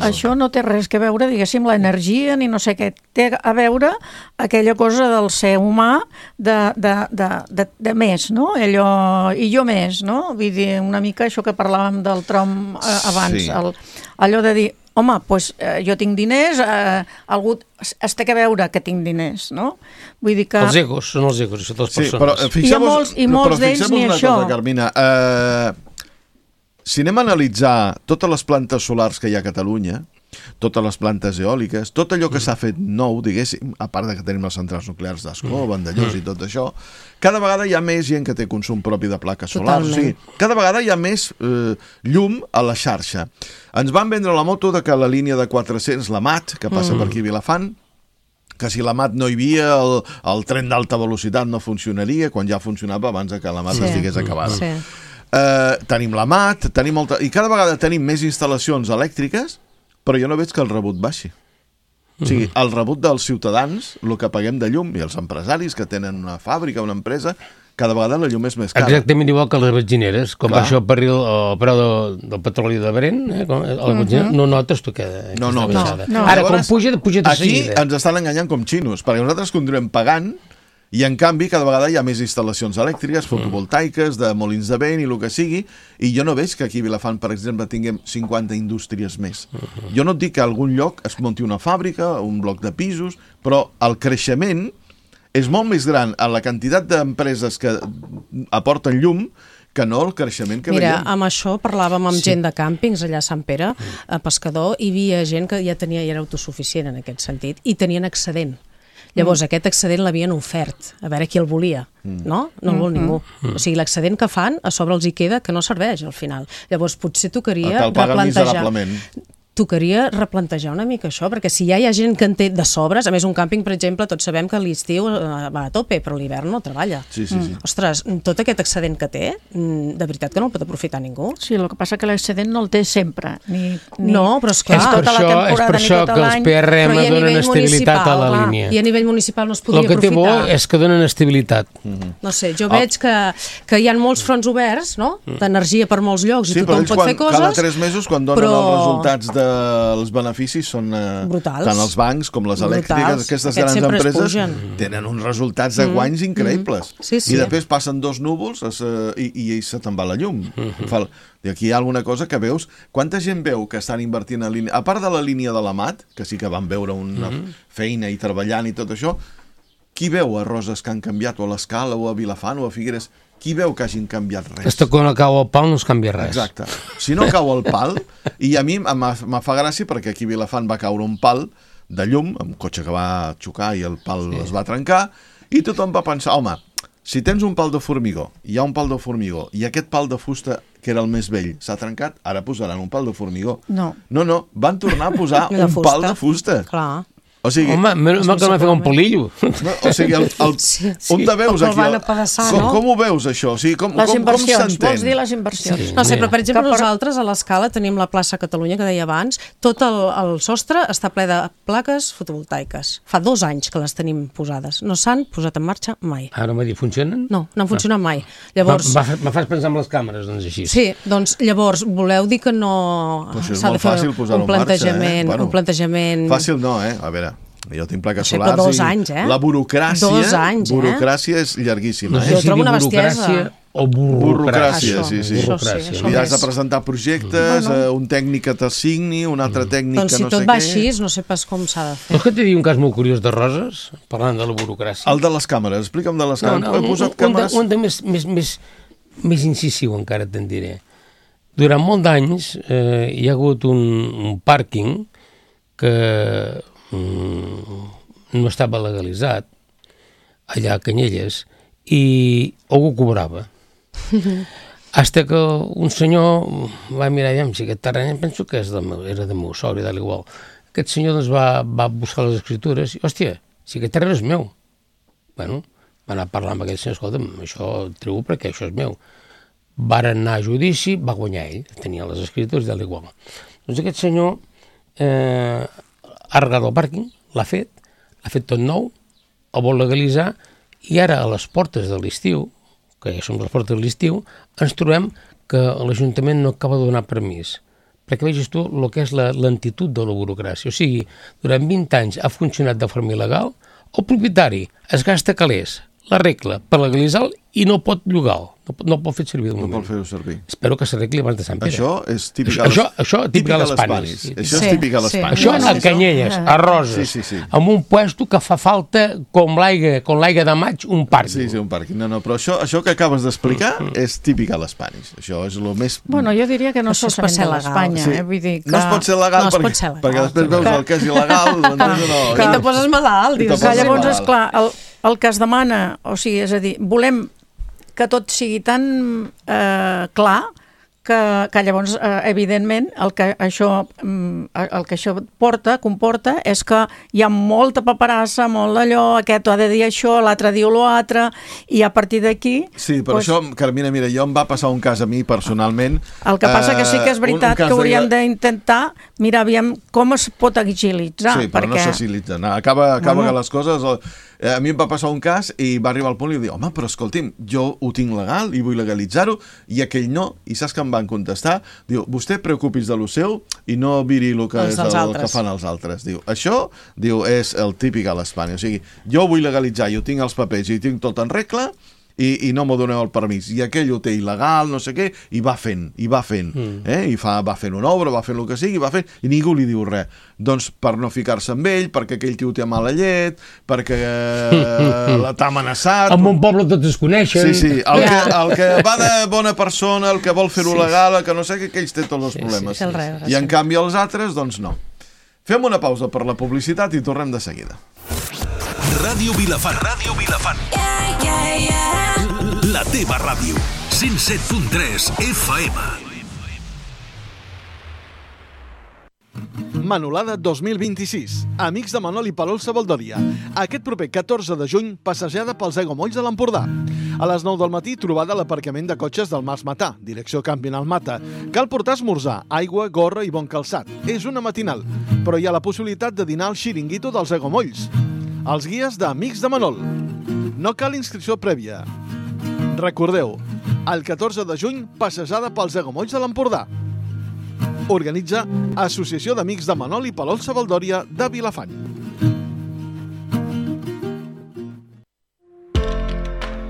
això no té res que veure, diguéssim, l'energia ni no sé què. Té a veure aquella cosa del ser humà de més, no? I jo més, no? Vull dir, una mica això que parlàvem del Trump abans. Allò de dir, home, doncs jo tinc diners, algú es té que veure que tinc diners, no? Vull dir que... Els egos, són els egos, això de les persones. Però fixeu-vos una cosa, Carmina. Si anem a analitzar totes les plantes solars que hi ha a Catalunya, totes les plantes eòliques, tot allò que s'ha fet nou, diguéssim, a part de que tenim les centrals nuclears d'Ascó, Vandellós i tot això, cada vegada hi ha més gent que té consum propi de plaques solars. O sigui, cada vegada hi ha més llum a la xarxa. Ens van vendre la moto de que la línia de 400, la MAT, que passa per aquí a Vilafant, que si la MAT no hi havia, el tren d'alta velocitat no funcionaria, quan ja funcionava abans que la MAT estigués acabada. Tenim la MAT, i cada vegada tenim més instal·lacions elèctriques, però jo no veig que el rebut baixi. O sigui, el rebut dels ciutadans, el que paguem de llum, i els empresaris que tenen una fàbrica, una empresa, cada vegada la llum és més cara. Exactament igual que les benzineres. Com va això per el preu del petroli de Brent, no notes tu que... No. Ara, quan puja de seguida. Aquí ens estan enganyant com xinos, perquè nosaltres continuem pagant, i en canvi cada vegada hi ha més instal·lacions elèctriques, fotovoltaiques, de molins de vent i el que sigui, i jo no veig que aquí a Vilafant, per exemple, tinguem 50 indústries més. Jo no et dic que a algun lloc es munti una fàbrica, un bloc de pisos, però el creixement és molt més gran a la quantitat d'empreses que aporten llum que no el creixement que veiem. Mira, amb això parlàvem amb gent de càmpings allà a Sant Pere, a Pescador, i hi havia gent que ja era autosuficient en aquest sentit, i tenien excedent. Llavors, aquest excedent l'havien ofert, a veure qui el volia, no? No el vol ningú. O sigui, l'excedent que fan, a sobre els hi queda que no serveix al final. Llavors, potser tocaria replantejar una mica això, perquè si ja hi ha gent que en té de sobres, a més un càmping, per exemple, tots sabem que l'estiu va a tope, però l'hivern no treballa. Sí. Ostres, tot aquest excedent que té, de veritat que no el pot aprofitar ningú. Sí, el que passa que l'excedent no el té sempre. No, però esclar. És per això que els PRM donen estabilitat a la línia. I a nivell municipal no es podria aprofitar. El que té bo és que donen estabilitat. No sé, jo veig que hi ha molts fronts oberts, no? D'energia per molts llocs i tothom pot fer coses. Cada 3 mesos, quan donen els resultats els beneficis són brutals. Tant els bancs com les elèctriques, aquestes grans empreses tenen uns resultats de guanys increïbles. I després passen 2 núvols i se te'n va la llum. I aquí hi ha alguna cosa que veus. Quanta gent veu que estan invertint en línia? A part de la línia de la Mat, que sí que van veure una feina i treballant i tot això, qui veu a Roses que han canviat, o a l'Escala, o a Vilafant, o a Figueres? Qui veu que hagin canviat res? Aquesta quan cau el pal no es canvia res. Exacte. Si no cau el pal, i a mi me fa gràcia perquè aquí a Vilafant va caure un pal de llum, un cotxe que va xocar i el pal es va trencar, i tothom va pensar, home, si tens un pal de formigó, hi ha un pal de formigó, i aquest pal de fusta, que era el més vell, s'ha trencat, ara posaran un pal de formigó. No, van tornar a posar un pal de fusta. Clar. O sigui, home, que no m'ha fet un polillo. O sigui, on te veus aquí? Com ho veus, això? O sigui, com s'entén? Vols dir les inversions? No sé, però per exemple nosaltres a l'Escala tenim la plaça Catalunya, que deia abans, tot el sostre està ple de plaques fotovoltaiques. Fa 2 anys que les tenim posades. No s'han posat en marxa mai. Ara m'ha dit, funcionen? No han funcionat mai. Llavors... Me fas pensar en les càmeres, doncs així. Sí, doncs llavors voleu dir que no s'ha de fer un plantejament... Fàcil no, a veure... Jo tinc plaques solars 2 anys, la burocràcia és llarguíssima. Jo trobo una bestiesa. O burocràcia, sí. I has de presentar projectes, un tècnic que t'assigni, un altre tècnic que no sé què... Doncs si tot va així, no sé pas com s'ha de fer. Vols que t'hi digui un cas molt curiós de Roses, parlant de la burocràcia? El de les càmeres, explica'm de les càmeres. He posat càmeres... Un més incisiu encara te'n diré. Durant molt d'anys hi ha hagut un pàrquing que no estava legalitzat allà a Canyelles i algú cobrava. Hasta que un senyor va mirar, si aquest terreny penso que era de meu sogre, d'igual. Aquest senyor doncs, va buscar les escritures i, hòstia, si aquest terreny és meu. Bueno, va anar a parlar amb aquell senyor, escolta'm, això treu perquè això és meu. Varen anar a judici, va guanyar ell, tenia les escritures d'igual. Doncs aquest senyor ha arreglat el pàrquing, l'ha fet tot nou, el vol legalitzar, i ara a les portes de l'estiu, que ja som les portes de l'estiu, ens trobem que l'Ajuntament no acaba de donar permís. Perquè vegis tu el que és la lentitud de la burocràcia. O sigui, durant 20 anys ha funcionat de forma il·legal, el propietari es gasta calés, l'arregla per legalitzar i no pot llogar-lo, no pot fer servir de moment. No pot fer-ho servir. Espero que s'arregli abans de Sant Pere. Això és típic a les Panis. Això és típic a les Panis. Això a Canyelles, a Roses, amb un puesto que fa falta, com l'aigua de maig, un pàrquing. Sí, un pàrquing. No, però això que acabes d'explicar és típic a les Panis. Això és el més... Bueno, jo diria que no solament de l'Espanya. No es pot ser legal perquè després veus el que és il·legal. I te poses malalt. Llavors, esclar, el que es demana, o sigui, és a dir, volem que tot sigui tan clar que llavors, evidentment, el que això comporta és que hi ha molta paperassa, molt d'allò, aquest ha de dir això, l'altre diu l'altre, i a partir d'aquí... Sí, però això, Carmina, mira, jo em va passar un cas a mi personalment... El que passa que sí que és veritat que hauríem d'intentar mirar aviam com es pot agilitzar. Sí, però no s'agilitza. Acaba que les coses... A mi em va passar un cas i va arribar al punt i va dir, home, però escolti'm, jo ho tinc legal i vull legalitzar-ho, i aquell no, i saps que em van contestar? Diu, vostè preocupis de lo seu i no viri el que fan els altres. Diu, això, és el típic a l'Espanya. O sigui, jo vull legalitzar, jo tinc els papers i tinc tot en regla, i no m'ho doneu el permís, i aquell ho té il·legal, no sé què, i va fent, i va fent una obra, va fent el que sigui, i ningú li diu res. Doncs per no ficar-se amb ell, perquè aquell tio té mala llet, perquè t'ha amenaçat... En un poble tots es coneixen. Sí, el que va de bona persona, el que vol fer-ho legal, el que no sé què, aquells té tots els problemes. I en canvi els altres, doncs no. Fem una pausa per la publicitat i tornem de seguida. Ràdio Vilafant. Ràdio Vilafant. La teva ràdio. 107.3 FM. Manolada 2026. Amics de Manol i Palol Sabaldòria. Aquest proper 14 de juny, passejada pels aiguamolls de l'Empordà. A les 9 del matí, trobada a l'aparcament de cotxes del Mas Matà, direcció Camp Benalmata. Cal portar esmorzar, aigua, gorra i bon calçat. És una matinal, però hi ha la possibilitat de dinar al xiringuito dels aiguamolls. Els guies d'Amics de Manol. No cal inscripció prèvia. Recordeu, el 14 de juny, passejada pels aiguamolls de l'Empordà. Organitza Associació d'Amics de Manol i Palol Sabaldòria de Vilafant.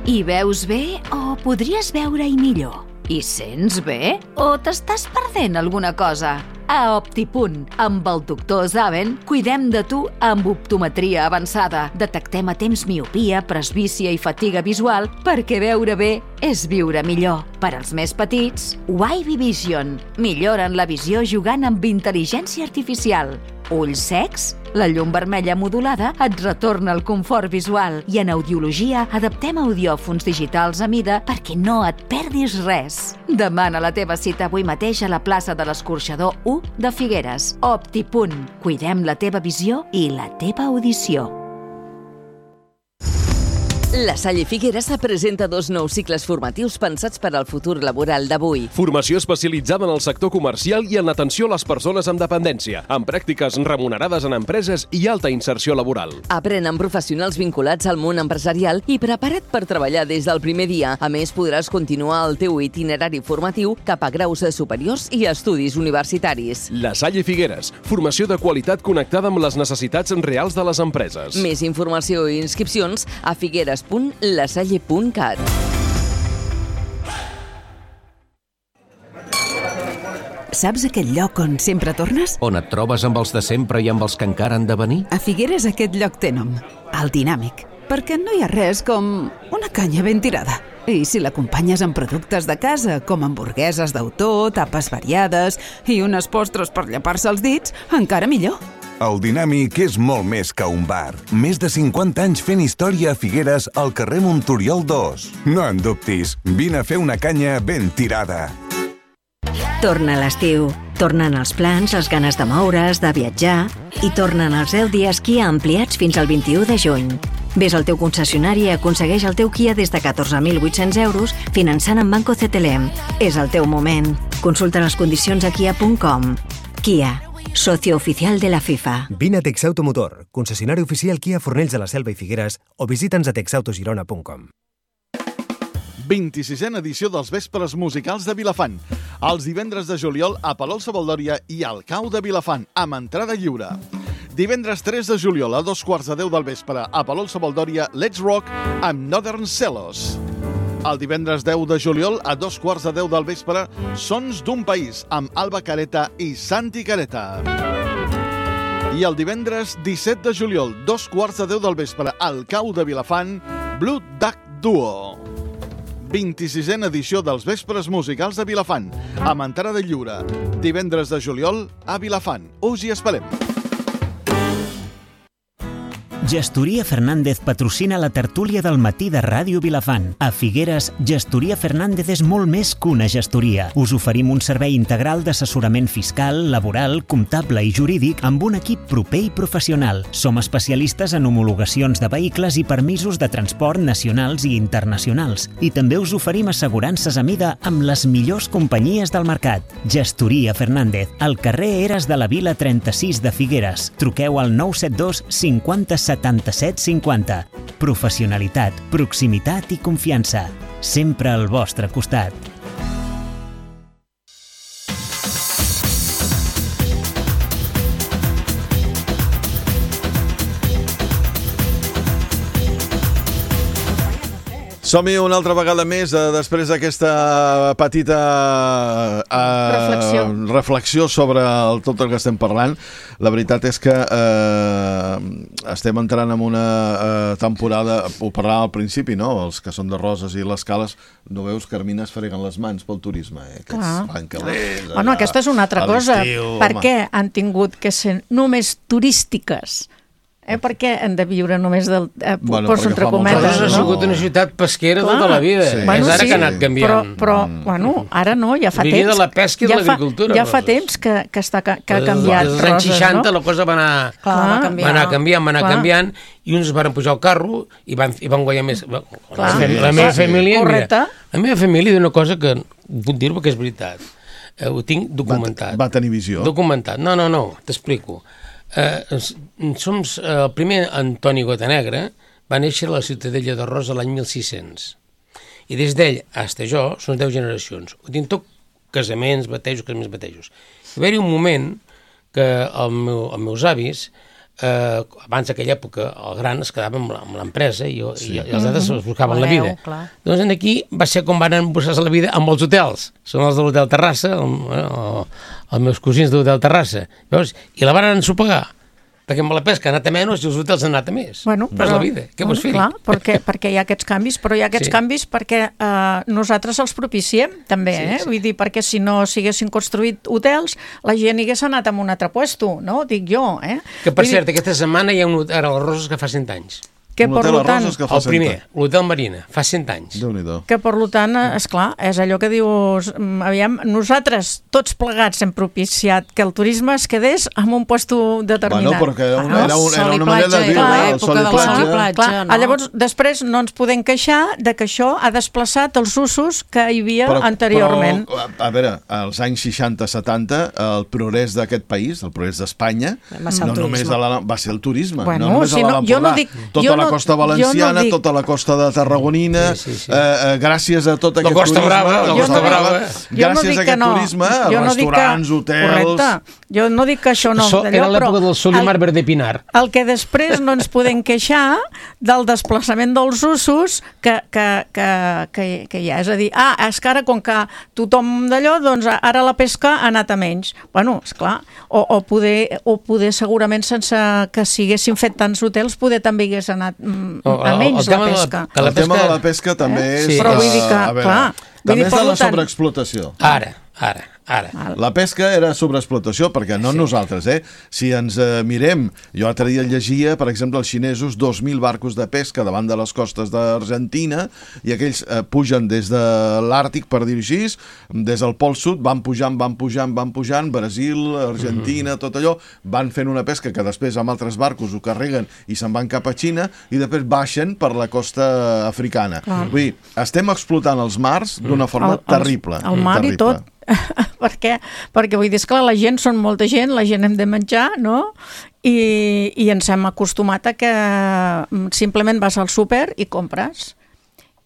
Hi veus bé o podries veure-hi millor? Hi sents bé o t'estàs perdent alguna cosa? A Optipunt, amb el doctor Zaven, cuidem de tu amb optometria avançada. Detectem a temps miopia, presbícia i fatiga visual perquè veure bé és viure millor. Per als més petits, Wavy Vision. Milloren la visió jugant amb intel·ligència artificial. Ulls secs? La llum vermella modulada et retorna el confort visual i en audiologia adaptem audiòfons digitals a mida perquè no et perdis res. Demana la teva cita avui mateix a la plaça de l'Escorxador 1 de Figueres. Optipunt. Cuidem la teva visió i la teva audició. La Salle Figueres presenta 2 nous cicles formatius pensats per al futur laboral d'avui. Formació especialitzada en el sector comercial i en l'atenció a les persones amb dependència, amb pràctiques remunerades en empreses i alta inserció laboral. Aprèn amb professionals vinculats al món empresarial i prepara't per treballar des del primer dia. A més, podràs continuar el teu itinerari formatiu cap a graus superiors i estudis universitaris. La Salle Figueres, formació de qualitat connectada amb les necessitats reals de les empreses. Més informació i inscripcions a figueres.lasalle.cat. Saps aquell lloc on sempre tornes? On et trobes amb els de sempre i amb els que encara han de venir? A Figueres aquest lloc té nom, el Dinàmic, perquè no hi ha res com una canya ben tirada. I si l'acompanyes amb productes de casa, com hamburgueses d'autor, tapes variades i unes postres per llepar-se els dits, encara millor. El Dinàmic és molt més que un bar. Més de 50 anys fent història a Figueres al carrer Montoriol 2. No en dubtis, vine a fer una canya ben tirada. Torna l'estiu. Tornen els plans, les ganes de moure's, de viatjar i tornen els 10 dies Kia ampliats fins al 21 de juny. Ves al teu concessionari i aconsegueix el teu Kia des de 14.800 euros finançant amb Banco CTLM. És el teu moment. Consulta les condicions a kia.com. Kia, socio oficial de la FIFA. Vine a Texauto Motor, concessionari oficial Kia Fornells de la Selva i Figueres, o visita'ns a texautogirona.com. 26a edició dels Vespres Musicals de Vilafant. Els divendres de juliol a Palol Sabaldòria i al Cau de Vilafant, amb entrada lliure. Divendres 3 de juliol a 2:15 del vespre a Palol Sabaldòria, Let's Rock amb Northern Celos. El divendres 10 de juliol a 2:15 del vespre, Sons d'un País amb Alba Careta i Santi Careta. I el divendres 17 de juliol, 2:15 del vespre, al Cau de Vilafant, Blue Duck Duo. 26a edició dels Vespres Musicals de Vilafant, amb entrada lliure. Divendres de juliol a Vilafant. Us hi esperem. Gestoria Fernández patrocina la tertúlia del matí de Ràdio Vilafant. A Figueres, Gestoria Fernández és molt més que una gestoria. Us oferim un servei integral d'assessorament fiscal, laboral, comptable i jurídic amb un equip proper i professional. Som especialistes en homologacions de vehicles i permisos de transport nacionals i internacionals. I també us oferim assegurances a mida amb les millors companyies del mercat. Gestoria Fernández, al carrer Eres de la Vila 36 de Figueres. Truqueu al 972 50 77 50. Professionalitat, proximitat i confiança. Sempre al vostre costat. Som-hi una altra vegada més, després d'aquesta petita reflexió sobre tot el que estem parlant. La veritat és que estem entrant en una temporada, ho parlàvem al principi, no? Els que són de Roses i les Cales, no veus, Carmina, es freguen les mans pel turisme, aquests bancalers. Bueno, aquesta és una altra cosa. Per què han tingut que ser només turístiques perquè hem de viure només del... poso entre Roses cometes, ha sigut una ciutat pesquera tota la vida. És ara que ha anat canviant. Però ara no, ja fa temps. Vivia de la pesca i de l'agricultura. Ja fa temps que ha canviat Roses, no? Als anys 60 la cosa va anar canviant, i uns van pujar al carro i van guanyar més. La meva família... La meva família d'una cosa que puc dir-ho perquè és veritat. Ho tinc documentat. Va tenir visió? Documentat. No, t'explico. El primer Antoni Gotanegra va néixer a la Ciutadella de Rosa l'any 1600 i des d'ell fins a jo són 10 generacions. Ho tinc tot casaments, batejos. Va haver-hi un moment que els meus avis, abans d'aquella època, el gran es quedava amb l'empresa i els altres es buscaven la vida. Doncs aquí va ser com van buscar-se la vida amb els hotels. Són els de l'Hotel Terrassa, els meus cosins de l'Hotel Terrassa. I la van ensopegar, perquè amb la pesca ha anat a menys i els hotels han anat a més. Però és la vida, què vols fer? Clar, perquè hi ha aquests canvis, però hi ha aquests canvis perquè nosaltres els propiciem, també, Vull dir, perquè si no s'haguessin construït hotels, la gent hi hagués anat a un altre puesto, no? Dic jo, Que, per cert, aquesta setmana hi ha un hotel a les Roses que fa 100 anys. Que per tant, el primer, l'Hotel Marina, fa 100 anys. Que per tant, esclar, és allò que dius, aviam, nosaltres tots plegats hem propiciat que el turisme es quedés en un puesto determinat. Perquè era una manera de viure, el sol i platja. Llavors, després no ens podem queixar de que això ha desplaçat els usos que hi havia anteriorment. Però, a veure, als anys 60-70, el progrés d'aquest país, el progrés d'Espanya, no només va ser el turisme, no només a l'Empordà, la costa valenciana, tota la costa de Tarragonina, gràcies a tot aquest turisme, gràcies a aquest turisme, restaurants, hotels... Correcte, jo no dic que això no... Era l'època del Solimar Verde Pinar. El que després no ens podem queixar del desplaçament dels usos que hi ha. És a dir, és que ara, com que tothom d'allò, doncs ara la pesca ha anat a menys. Bueno, esclar, o poder segurament sense que s'haguessin fet tants hotels, poder també hagués anat a menys la pesca. El tema de la pesca també és... Però vull dir que, clar... També és de la sobreexplotació. Ara. La pesca era sobreexplotació, perquè no nosaltres, Si ens mirem, jo l'altre dia llegia, per exemple, els xinesos 2.000 barcos de pesca davant de les costes d'Argentina, i aquells pugen des de l'Àrtic, per dir-ho així, des del Pol Sud, van pujant, Brasil, Argentina, tot allò, van fent una pesca que després amb altres barcos ho carreguen i se'n van cap a Xina, i després baixen per la costa africana. Vull dir, estem explotant els mars d'una forma terrible. El mar i tot. Perquè vull dir, esclar, la gent són molta gent, la gent hem de menjar, no? I ens hem acostumat a que simplement vas al súper i compres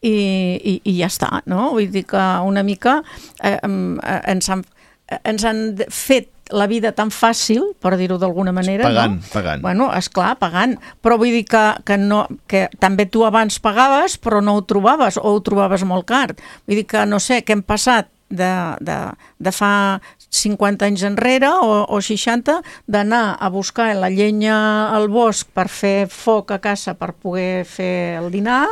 i ja està, no? Vull dir que una mica ens han fet la vida tan fàcil, per dir-ho d'alguna manera, pagant. Bueno, esclar, pagant, però vull dir que també tu abans pagaves però no ho trobaves, o ho trobaves molt car. Vull dir que, no sé, què hem passat de fa 50 anys enrere o 60, d'anar a buscar la llenya al bosc per fer foc a casa per poder fer el dinar,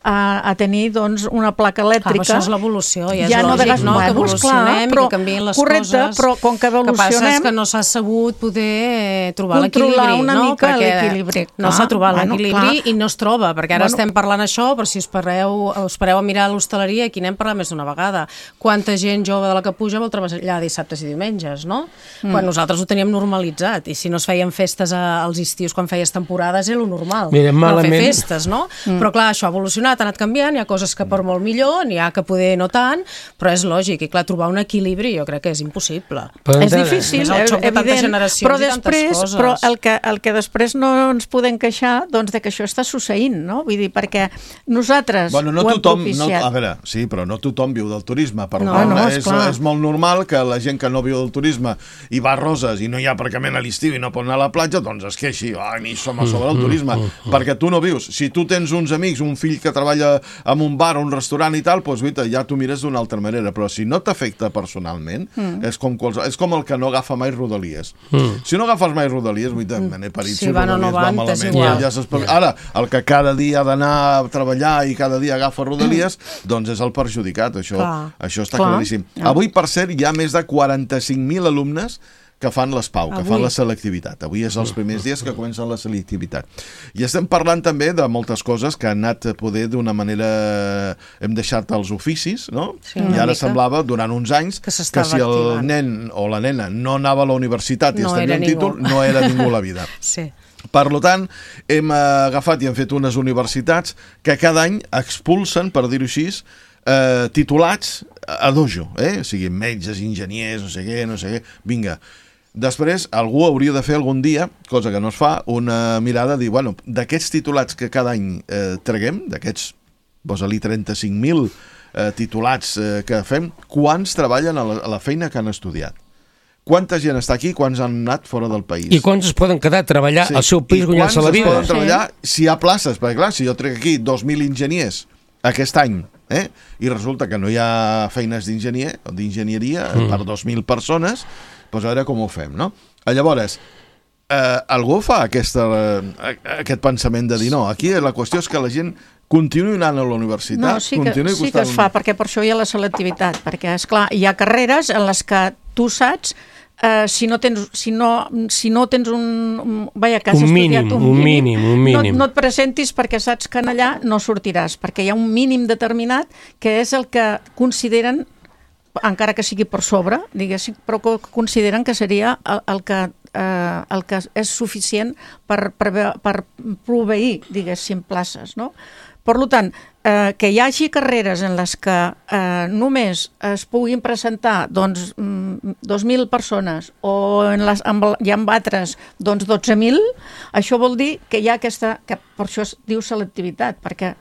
a tenir doncs una placa elèctrica. Això és l'evolució, i és lògic, no? Que evolucionem i que canvien les coses. Però com que evolucionem... El que passa és que no s'ha sabut poder trobar l'equilibri, controlar una mica l'equilibri. No s'ha trobat l'equilibri i no es troba, perquè ara estem parlant això, però si us pareu a mirar l'hostaleria, aquí n'hem parlat més d'una vegada. Quanta gent jove de la que puja vol treballar dissabtes i diumenges, no? Quan nosaltres ho teníem normalitzat, i si no es feien festes als estius quan feies temporades era lo normal. No fer festes, no? Però clar, això ha evolucionat, ha anat canviant, hi ha coses que per molt millor, n'hi ha que poder no tant, però és lògic, i clar, trobar un equilibri jo crec que és impossible. És difícil, evident, però el que després no ens podem queixar, doncs de que això està succeint, no? Vull dir, perquè nosaltres ho hem propiciat. A veure, sí, però no tothom viu del turisme, per tant, és molt normal que la gent que no viu del turisme i va a Roses i no hi ha aparcament a l'estiu i no pot anar a la platja, doncs es queixi, ni som a sobre el turisme, perquè tu no vius. Si tu tens uns amics, un fill que treballa en un bar o un restaurant i tal, doncs ja t'ho mires d'una altra manera, però si no t'afecta personalment, és com el que no agafa mai Rodalies. Si no agafes mai Rodalies, me n'he parit si Rodalies va malament. Ara, el que cada dia ha d'anar a treballar i cada dia agafa Rodalies, doncs és el perjudicat, això està claríssim. Avui, per cert, hi ha més de 45.000 alumnes que fan l'ESPAU, que fan la selectivitat. Avui és els primers dies que comencen la selectivitat. I estem parlant també de moltes coses que han anat a poder d'una manera... Hem deixat els oficis, no? Sí, I ara semblava, durant uns anys, que si el nen o la nena no anava a la universitat i es tenia un títol, no era ningú a la vida. Sí. Per tant, hem agafat i hem fet unes universitats que cada any expulsen, per dir-ho així, titulats a dojo, siguin metges, enginyers, no sé què, vinga. Després, algú hauria de fer algun dia, cosa que no es fa, una mirada de dir, bueno, d'aquests titulats que cada any traguem, d'aquests, posa-li 35.000 titulats que fem, quants treballen a la feina que han estudiat? Quanta gent està aquí, quants han anat fora del país? I quants es poden quedar a treballar al seu país guanyant-se la vida? I quants es poden treballar si hi ha places? Perquè clar, si jo trec aquí 2.000 enginyers aquest any, i resulta que no hi ha feines d'enginyer o d'enginyeria per 2.000 persones, doncs a veure com ho fem, no? Llavors, algú fa aquest pensament de dir no, aquí la qüestió és que la gent continuï anant a la universitat. No, sí que es fa, perquè per això hi ha la selectivitat, perquè, esclar, hi ha carreres en les que tu saps si no tens un mínim, no et presentis perquè saps que allà no sortiràs, perquè hi ha un mínim determinat que és el que consideren, encara que sigui per sobre, diguéssim, però que consideren que seria el que és suficient per proveir, diguéssim, places, no? Per tant, que hi hagi carreres en les que només es puguin presentar 2.000 persones o hi ha altres 12.000, això vol dir que hi ha aquesta... que per això es diu selectivitat, perquè...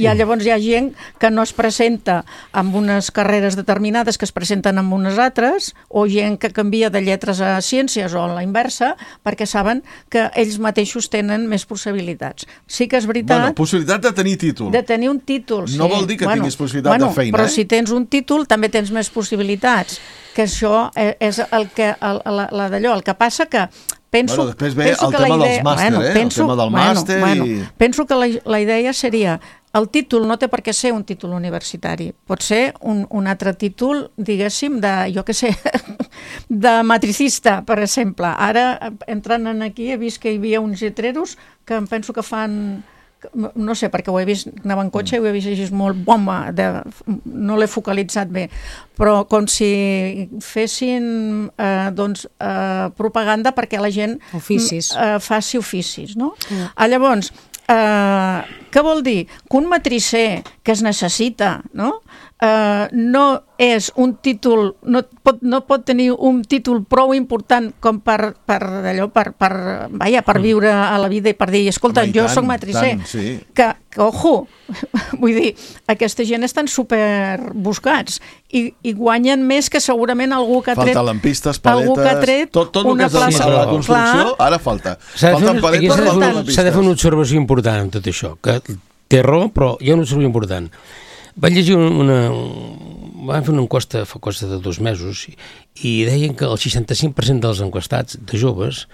Llavors hi ha gent que no es presenta amb unes carreres determinades que es presenten amb unes altres, o gent que canvia de lletres a ciències o a la inversa, perquè saben que ells mateixos tenen més possibilitats. Sí que és veritat... Bueno, possibilitat de tenir títol. De tenir un títol, sí. No vol dir que tinguis possibilitat de feina, però si tens un títol també tens més possibilitats, que això és el que passa que penso, després ve el tema dels màster, el tema del màster... Penso que la idea seria, el títol no té per què ser un títol universitari, pot ser un altre títol, diguéssim, de matricista, per exemple. Ara, entrant aquí, he vist que hi havia uns lletreros que em penso que fan... no sé, perquè ho he vist, anava en cotxe i ho he vist així molt bomba, no l'he focalitzat bé, però com si fessin propaganda perquè la gent faci oficis, no? Llavors, què vol dir? Que un matricer que es necessita, no és un títol, no pot tenir un títol prou important com per viure a la vida i per dir, escolta, jo soc matricer, que ojo, vull dir, aquesta gent estan superbuscats i guanyen més que segurament algú que ha tret... Falta lampistes, paletes, tot el que és a la construcció, ara falta. Falten paletes, falten lampistes. S'ha de fer una observació important en tot això, que té raó, però hi ha una observació important. Van llegir van fer una enquesta fa cosa de 2 mesos i deien que el 65% dels enquestats de joves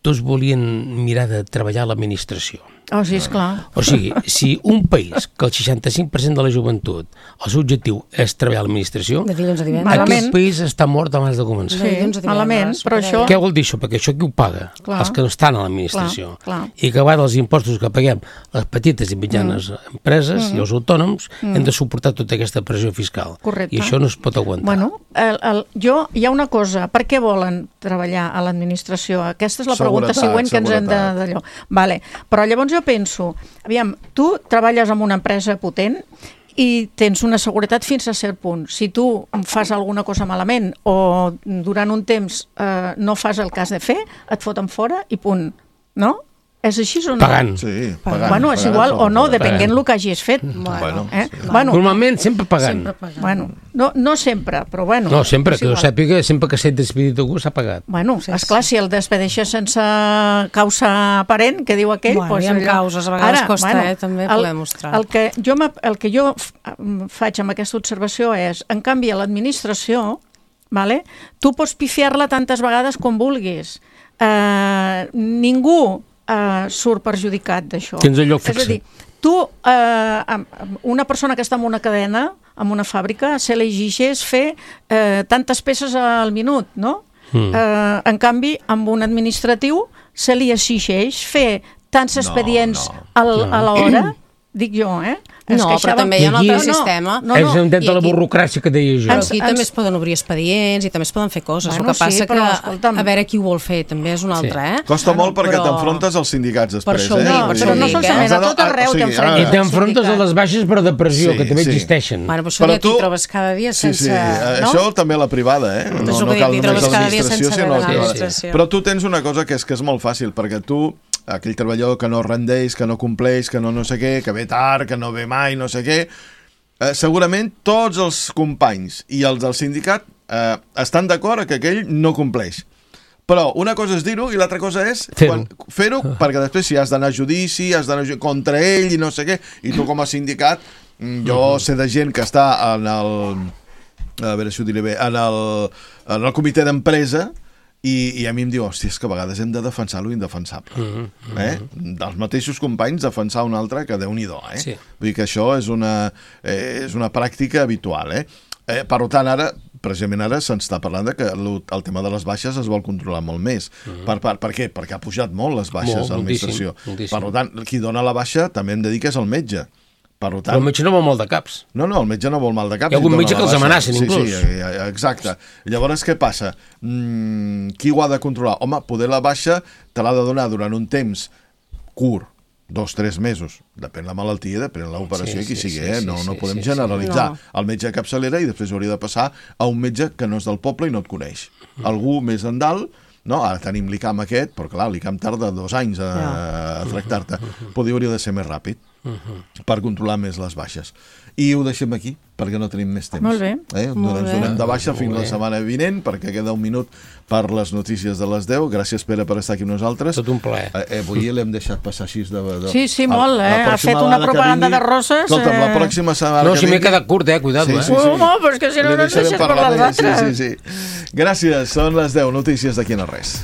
tots volien mirar de treballar a l'administració. Oh, sí, esclar. O sigui, si un país que el 65% de la joventut, el seu objectiu és treballar a l'administració, aquest país està mort abans de començar. Sí, malament, però això... Què vol dir això? Perquè això qui ho paga? Els que no estan a l'administració. I que va dels impostos que paguem les petites i mitjanes empreses i els autònoms hem de suportar tota aquesta pressió fiscal. Correcte. I això no es pot aguantar. Bueno, hi ha una cosa, per què volen treballar a l'administració? Aquesta és la pregunta següent que ens hem d'allò. Vale, però llavors jo penso, aviam, tu treballes en una empresa potent i tens una seguretat fins a cert punt. Si tu fas alguna cosa malament o durant un temps no fas el que has de fer, et foten fora i punt, no? És així o no? Pagant. Sí, pagant. Bueno, és igual o no, depenent del que hagis fet. Normalment sempre pagant. Bueno, no sempre, però bueno. No, sempre, que ho sàpiga, sempre que s'ha despedit algú s'ha pagat. Bueno, esclar, si el despedeixes sense causa aparent, que diu aquell... Bueno, hi ha causes, a vegades costa, també poder mostrar. El que jo faig amb aquesta observació és, en canvi, a l'administració, tu pots pifiar-la tantes vegades com vulguis. Ningú surt perjudicat d'això. Tens el lloc fixe. És a dir, tu, una persona que està en una cadena, en una fàbrica, se li exigeix fer tantes peces al minut, no? En canvi, amb un administratiu se li exigeix fer tants expedients a l'hora, dic jo, però també hi ha un altre sistema. És un de la burocràcia que deia jo. Però aquí també es poden obrir expedients i també es poden fer coses. El que passa que a veure qui ho vol fer també és un altre, Costa molt perquè t'enfrontes als sindicats després, Però no solament, a tot arreu t'enfrontes. I t'enfrontes a les baixes per depressió, que també existeixen. Bueno, però això t'hi trobes cada dia sense... Sí, això també a la privada, no cal només l'administració, sinó a la privada. Però tu tens una cosa que és molt fàcil, perquè tu, aquell treballador que no rendeix, que no compleix, que no sé què, que ve tard, que no ve mai, no sé què, segurament tots els companys i els del sindicat estan d'acord que aquell no compleix. Però una cosa és dir-ho i l'altra cosa és fer-ho, perquè després si has d'anar a judici, has d'anar contra ell i no sé què, i tu com a sindicat, jo sé de gent que està en el comitè d'empresa i a mi em diu, hòstia, és que a vegades hem de defensar lo indefensable. Dels mateixos companys defensar un altre que Déu-n'hi-do. Vull dir que això és una pràctica habitual. Per tant, precisament ara se'ns està parlant que el tema de les baixes es vol controlar molt més. Per què? Perquè ha pujat molt les baixes a l'administració. Per tant, qui dona la baixa també hem de dir que és el metge. Però el metge no vol mal de caps. No, el metge no vol mal de caps. Hi ha algun metge que els amenacen, inclús. Sí, exacte. Llavors, què passa? Qui ho ha de controlar? Home, poder la baixa te l'ha de donar durant un temps curt, 2-3 mesos. Depèn la malaltia, depèn l'operació i qui sigui. No podem generalitzar. El metge de capçalera i després hauria de passar a un metge que no és del poble i no et coneix. Algú més endalt. Ara tenim l'ICAM aquest, però clar, l'ICAM tarda 2 anys a tractar-te. Hauria de ser més ràpid per controlar més les baixes. I ho deixem aquí, perquè no tenim més temps. Molt bé. Ens donem de baixa fins la setmana vinent, perquè queda un minut per les notícies de les 10. Gràcies, Pere, per estar aquí amb nosaltres. Tot un plaer. Avui l'hem deixat passar així de... Sí, molt, ha fet una propaganda de roses. Escolta'm, la pròxima setmana... No, si m'he quedat curt, cuidado. No, però és que si no ens deixes parlar d'altres. Sí. Gràcies, són les 10, notícies d'aquí no res.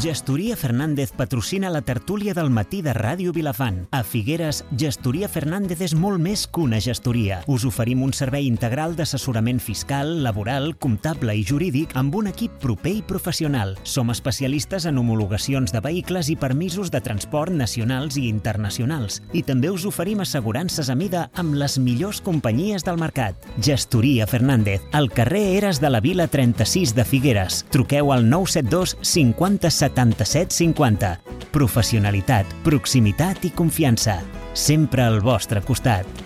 Gestoria Fernández patrocina la tertúlia del matí de Ràdio Vilafant. A Figueres, Gestoria Fernández és molt més que una gestoria. Us oferim un servei integral d'assessorament fiscal, laboral, comptable i jurídic amb un equip proper i professional. Som especialistes en homologacions de vehicles i permisos de transport nacionals i internacionals. I també us oferim assegurances a mida amb les millors companyies del mercat. Gestoria Fernández, al carrer Eres de la Vila 36 de Figueres. Truqueu al 972 50 77 50. Professionalitat, proximitat i confiança. Sempre al vostre costat.